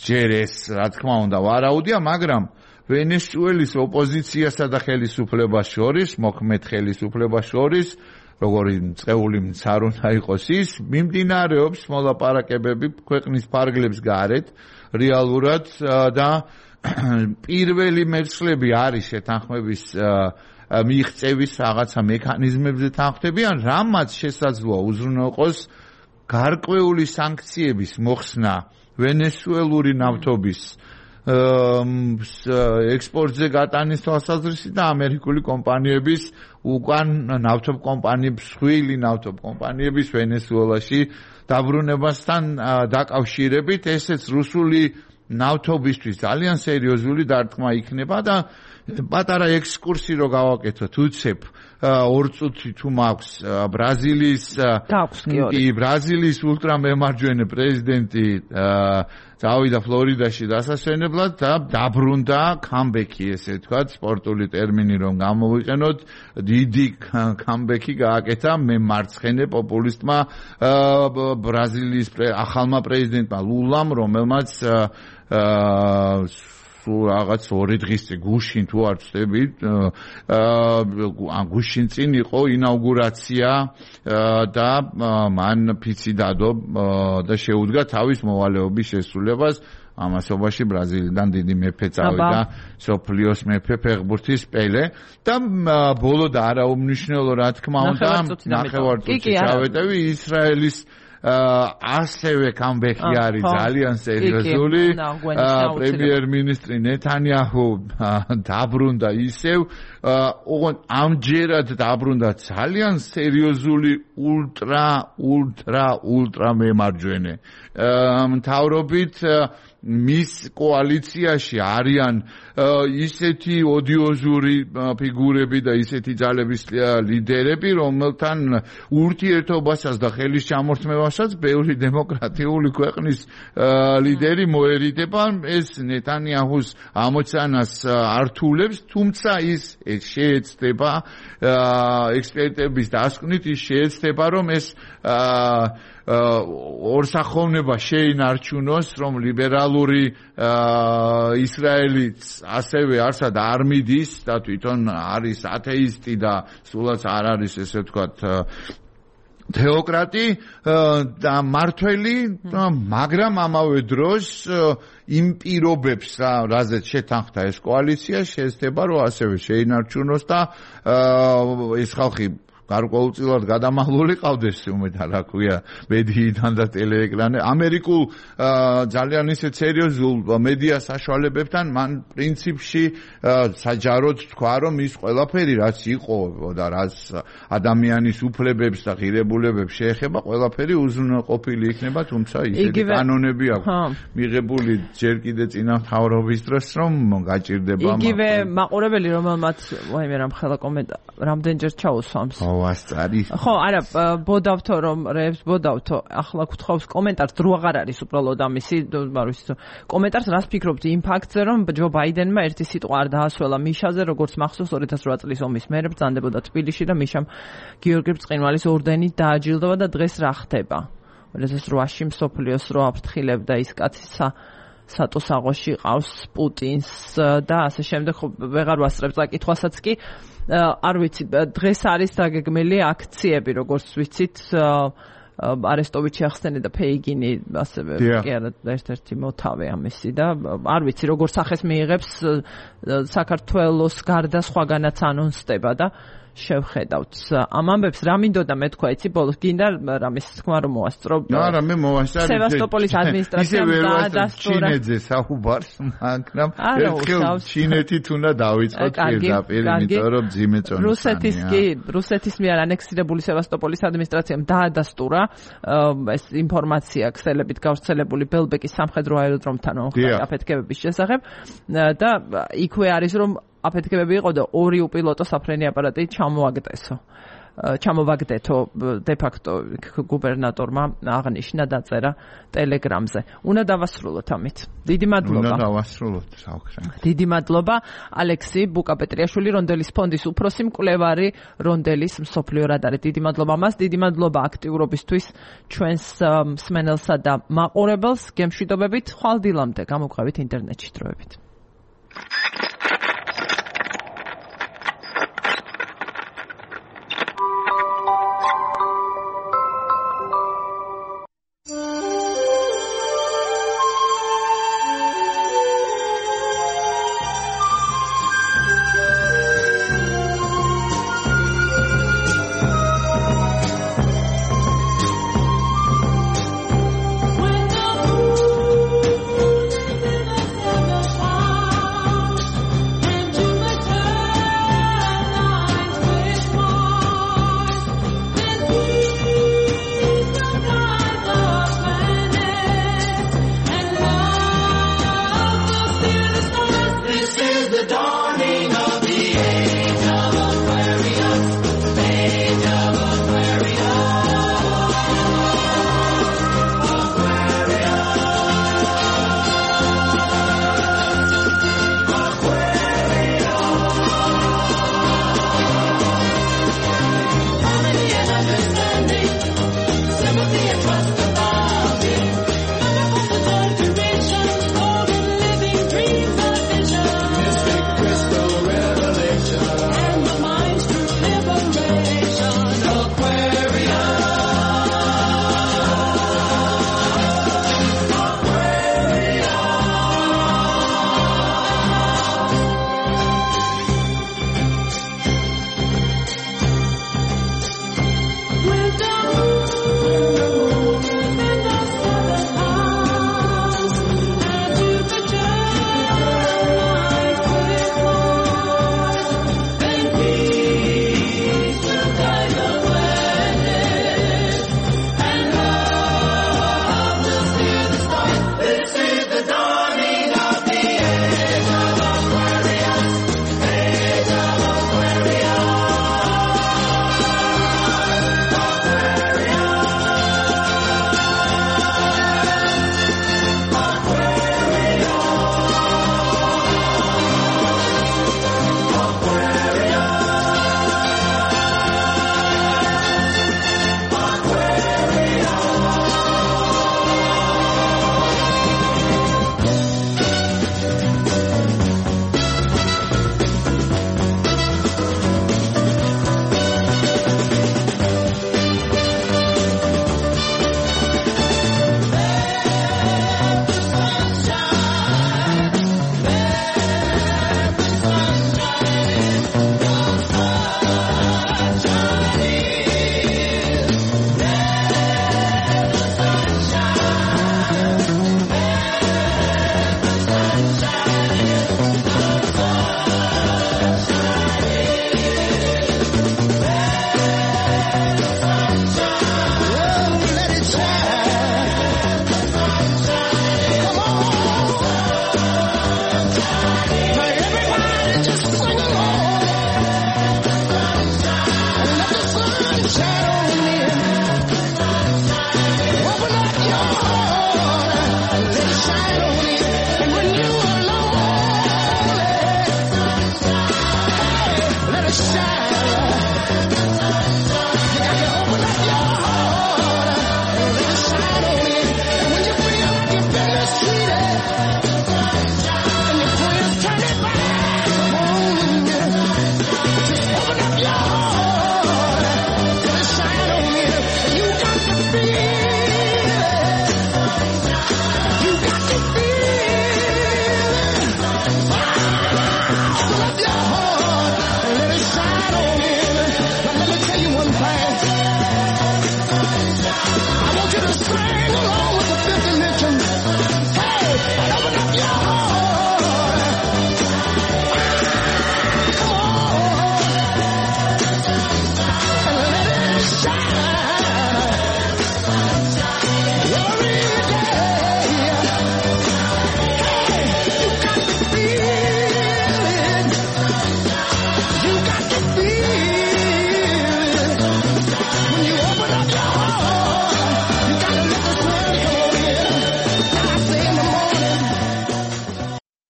ჯერ ეს რა თქმა უნდა ვარაუდია, მაგრამ ვენესუელის ოპოზიციასა და ხელისუფლებას შორის, მოქმედ ხელისუფლებას შორის, როგორი წეული მცარ უნდა იყოს ის, მიმდინარეობს მოლაპარაკებები ქვეყნის ფარგლებს გარეთ, რეალურად და პირველი მერცხლები არის შეთანხმების მიღწევის რაღაცა მექანიზმებზე თანხმდებიან, რამაც შესაძლოა უზრუნველყოს გარკვეული სანქციების მოხსნა ვენესუელური ნავთობის ექსპორტზე გატანის თვალსაზრისით და ამერიკული კომპანიების უკან ნავთობ კომპანიების, სხვილი ნავთობ კომპანიების ვენესუელაში დაბრუნებასთან დაკავშირებით, ესეც რუსული ნავთობისთვის ძალიან სერიოზული დარტყმა იქნება და პატარა ექსკურსი რო გავაკეთოთ, უცებ ორ წუთი თუ მაქვს ბრაზილიის კი ბრაზილიის ულტრამემარჯვენე პრეზიდენტი წავიდა ფლორიდაში დასასვენებლად და დაბრუნდა კამბექი, ესე ვთქვათ, სპორტული ტერმინი რომ გამოვიყენოთ, დიდი კამბექი გააკეთა მემარცხენე პოპულისტმა ბრაზილიის ახალმა პრეზიდენტმა ლულამ, რომელმაც რაღაც ორი დღის წინ გუშინ თუ არ ვწდებით, ან გუშინ წინ იყო ინაუგურაცია და მან ფიცი დადო და შეუდგა თავის მოვალეობის შესრულებას. ამასობაში ბრაზილიდან დიდი მეფე წავიდა, სოფლიოს მეფე ფეხბურთის პელე და ბოლო და არაუმნიშვნელო რა თქმა უნდა ნახევარწუთში ჩავეტევი ისრაელის ასევე კამბექი არის ძალიან სერიოზული. პრემიერ-მინისტრი ნეთანიაჰუ დაბრუნდა ისევ, ოღონდ ამჯერად დაბრუნდა ძალიან სერიოზული ულტრა ულტრა ულტრა მემარჯვენე მთავრობით. მის კოალიციაში არიან ისეთი ოდიოზური ფიგურები და ისეთი ძალების ლიდერები, რომელთან ურთიერთობასაც და ხელის ჩამორთმევასაც ბევრი დემოკრატიული ქვეყნის ლიდერი მოერიდება. ეს ნეთანიაჰუს ამოცანას ართულებს, თუმცა ის შეეცდება ექსპერტების დასკვნით, ის შეეცდება, რომ ეს ორსახოვნება შეინარჩუნოს, რომ ლიბერალური ისრაელიც ასევე არსად არ მიდის და თვითონ არის ათეისტი და სულაც არ არის, ესე ვთქვათ, თეოკრატი და მართველი, მაგრამ ამავე დროს იმ პირობებს, რაზეც შეთანხმდა ეს კოალიცია, შეეცდება, რომ ასევე შეინარჩუნოს და ეს ხალხი გარკვეულწილად გადამაღლული ყავდეს, უმეტად რა ქვია, მედიიდან და ტელეეკრანე. ამერიკულ ძალიან ისე სერიოზულ მედია საშუალებებთან მან პრინციპში საჯაროდ თქვა, რომ ის ყველაფერი, რაც იყო და რაც ადამიანის უფლებებს და ღირებულებებს შეეხება, ყველაფერი უზრუნველყოფილი იქნება, თუმცა ისეთი კანონები აქვს მიღებული ჯერ კიდე წინა მთავრობის დროს, რომ გაჭირდება. იგივე მაყურებელი, რომელმაც ვაიმე რამ ხელა კომენტარი, რამდენჯერ ჩაუსვამს. ვასწარი. ხო, არა, ბოდავთო რომ რეებს ბოდავთო, ახლა გთხოვს კომენტარს დრო აღარ არის უბრალოდ ამისი, არ ვიცი, კომენტარს რას ფიქრობთ იმ ფაქტზე, რომ ჯო ბაიდენმა ერთი სიტყვა არ დაასვლა მიშაზე, როგორც მახსოვს ორი ათას რვა წლის ომის მერე ბრძანდებოდა თბილისში და მიშამ გიორგი ბრწყინვალის ორდენით დააჯილდოვა და დღეს რა ხდება? ორი ათას რვაში მსოფლიოს რო აფრთხილებდა ის კაცი სატოსაღოში ყავს პუტინს და ასე შემდეგ, ხო ვეღარ ვასწრებ წაკითხვასაც კი არ ვიცი, დღეს არის დაგეგმილი აქციები, როგორც ვიცით, არესტოვიჩი ახსენე და ფეიგინი ასევე კი არა ერთ-ერთი მოთავე ამისი და არ ვიცი როგორ სახეს მიიღებს საქართველოს გარდა სხვაგანაც ანონსდება და შევხედავთ ამ ამბებს რა მინდოდა მე თქვა იცი ბოლოს გინდა რამის თქმა რომ მოასწრო არა მე მოასწრე სევასტოპოლის ადმინისტრაციამ დაადასტურა ჩინეთზე საუბარს მაგრამ ერთხელ ჩინეთით უნდა დავიწყოთ პირდაპირ იმიტომ რომ ძიმე წონასწანია რუსეთის კი რუსეთის მიერ ანექსირებული სევასტოპოლის ადმინისტრაციამ დაადასტურა ეს ინფორმაცია ქსელებით გავრცელებული ბელბეკის სამხედრო აეროდრომთან აფეთქებების შესახებ და იქვე არის რომ აფეთქებები იყო და ორი უპილოტო საფრენი აპარატი ჩამოაგდესო. ჩამოვაგდეთო დე-ფაქტო გუბერნატორმა აღნიშნა დაწერა ტელეგრამზე. უნდა დავასრულოთ ამით. დიდი მადლობა. უნდა დავასრულოთ, საუბრობთ. დიდი მადლობა ალექსი ბუკაპეტრიაშვილი რონდელის ფონდის უფროსი მკვლევარი რონდელის მსოფლიო რადარი. დიდი მადლობა მას, დიდი მადლობა აქტიურობისთვის ჩვენს მსმენელსა და მაყურებელს. გემშვიდობებით, ხვალ დილამდე გამოგვყევით ინტერნეტში დროებით.